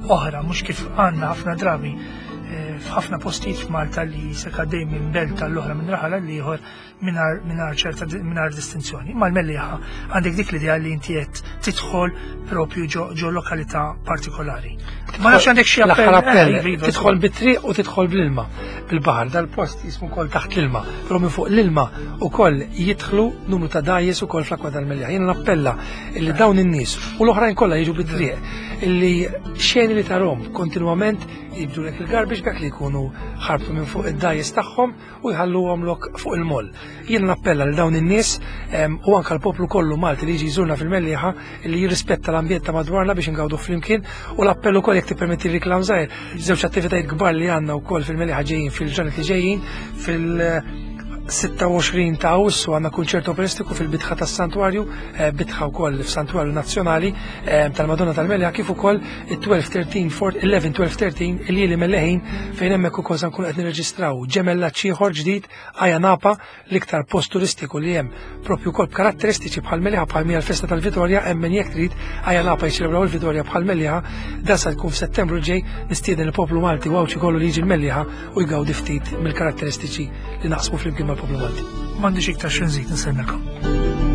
oħra mhux kif għandna ħafna drabi eh, f'ħafna postijiet f'Malta li se għaddej minn belt tal-oħra minn raħal għal ieħor mingħajr ċerta mingħajr distinzjoni. Imma l-Mellieħa għandek dik l-idea li inti qed tidħol propju ġo lokalità partikolari. Ma nafx għandek xi appell. appell. Eh, iva, tidħol bit-triq u tidħol bl-ilma. Bil-baħar dal-post jismu wkoll taħt l-ilma, però minn fuq l-ilma ukoll jidħlu numru ta' dajjes ukoll fl-akwa tal-Mellieħa. Jiena nappella illi dawn in-nies u l-oħrajn kollha jiġu bit-triq illi xeni li tarhom kontinwament jibdulek il-garbage bag li jkunu ħarbtu minn fuq id-dajjes tagħhom u jħalluhomlok fuq il-moll. Jien nappella lil dawn in-nies u anke l-poplu kollu Malti li jiġi jżurna fil-Mellieħa li jirrispetta l-ambjent ta' madwarna biex ingawduh flimkien u l-appell ukoll jekk tippermetti riklam żgħir, żewġ attivitajiet kbar li għandna wkoll fil-Mellieħa ġejjin fil-ġranet li ġejjin fil- 26 ta' Awwissu għandna kunċert operistiku fil-bitħa tas-Santwarju, eh, bitħa wkoll f'Santwarju Nazzjonali eh, tal-Madonna tal-Melja kif ukoll it-12, 13, 4, 11, 12, 13 il-lieli Melleħin fejn hemmhekk ukoll se nkunu qed nirreġistraw ġemellaġġ ieħor ġdid Aja Napa l-iktar post turistiku li hemm propju wkoll b'karatteristiċi bħal Melliħa bħal mija l-festa tal-Vitorja hemm min jekk trid Aja Napa jiċċelebraw il-Vitorja bħal Melliħa dan sa tkun f'Settembru ġej nistieden il-poplu Malti u Għawdxi kollu li jiġi l-Mellieħa u jgawdi ftit mill-karatteristiċi li naqsmu flimkien mal-poplu Malti. M'għandix iktar xi nżid nsellmilkom.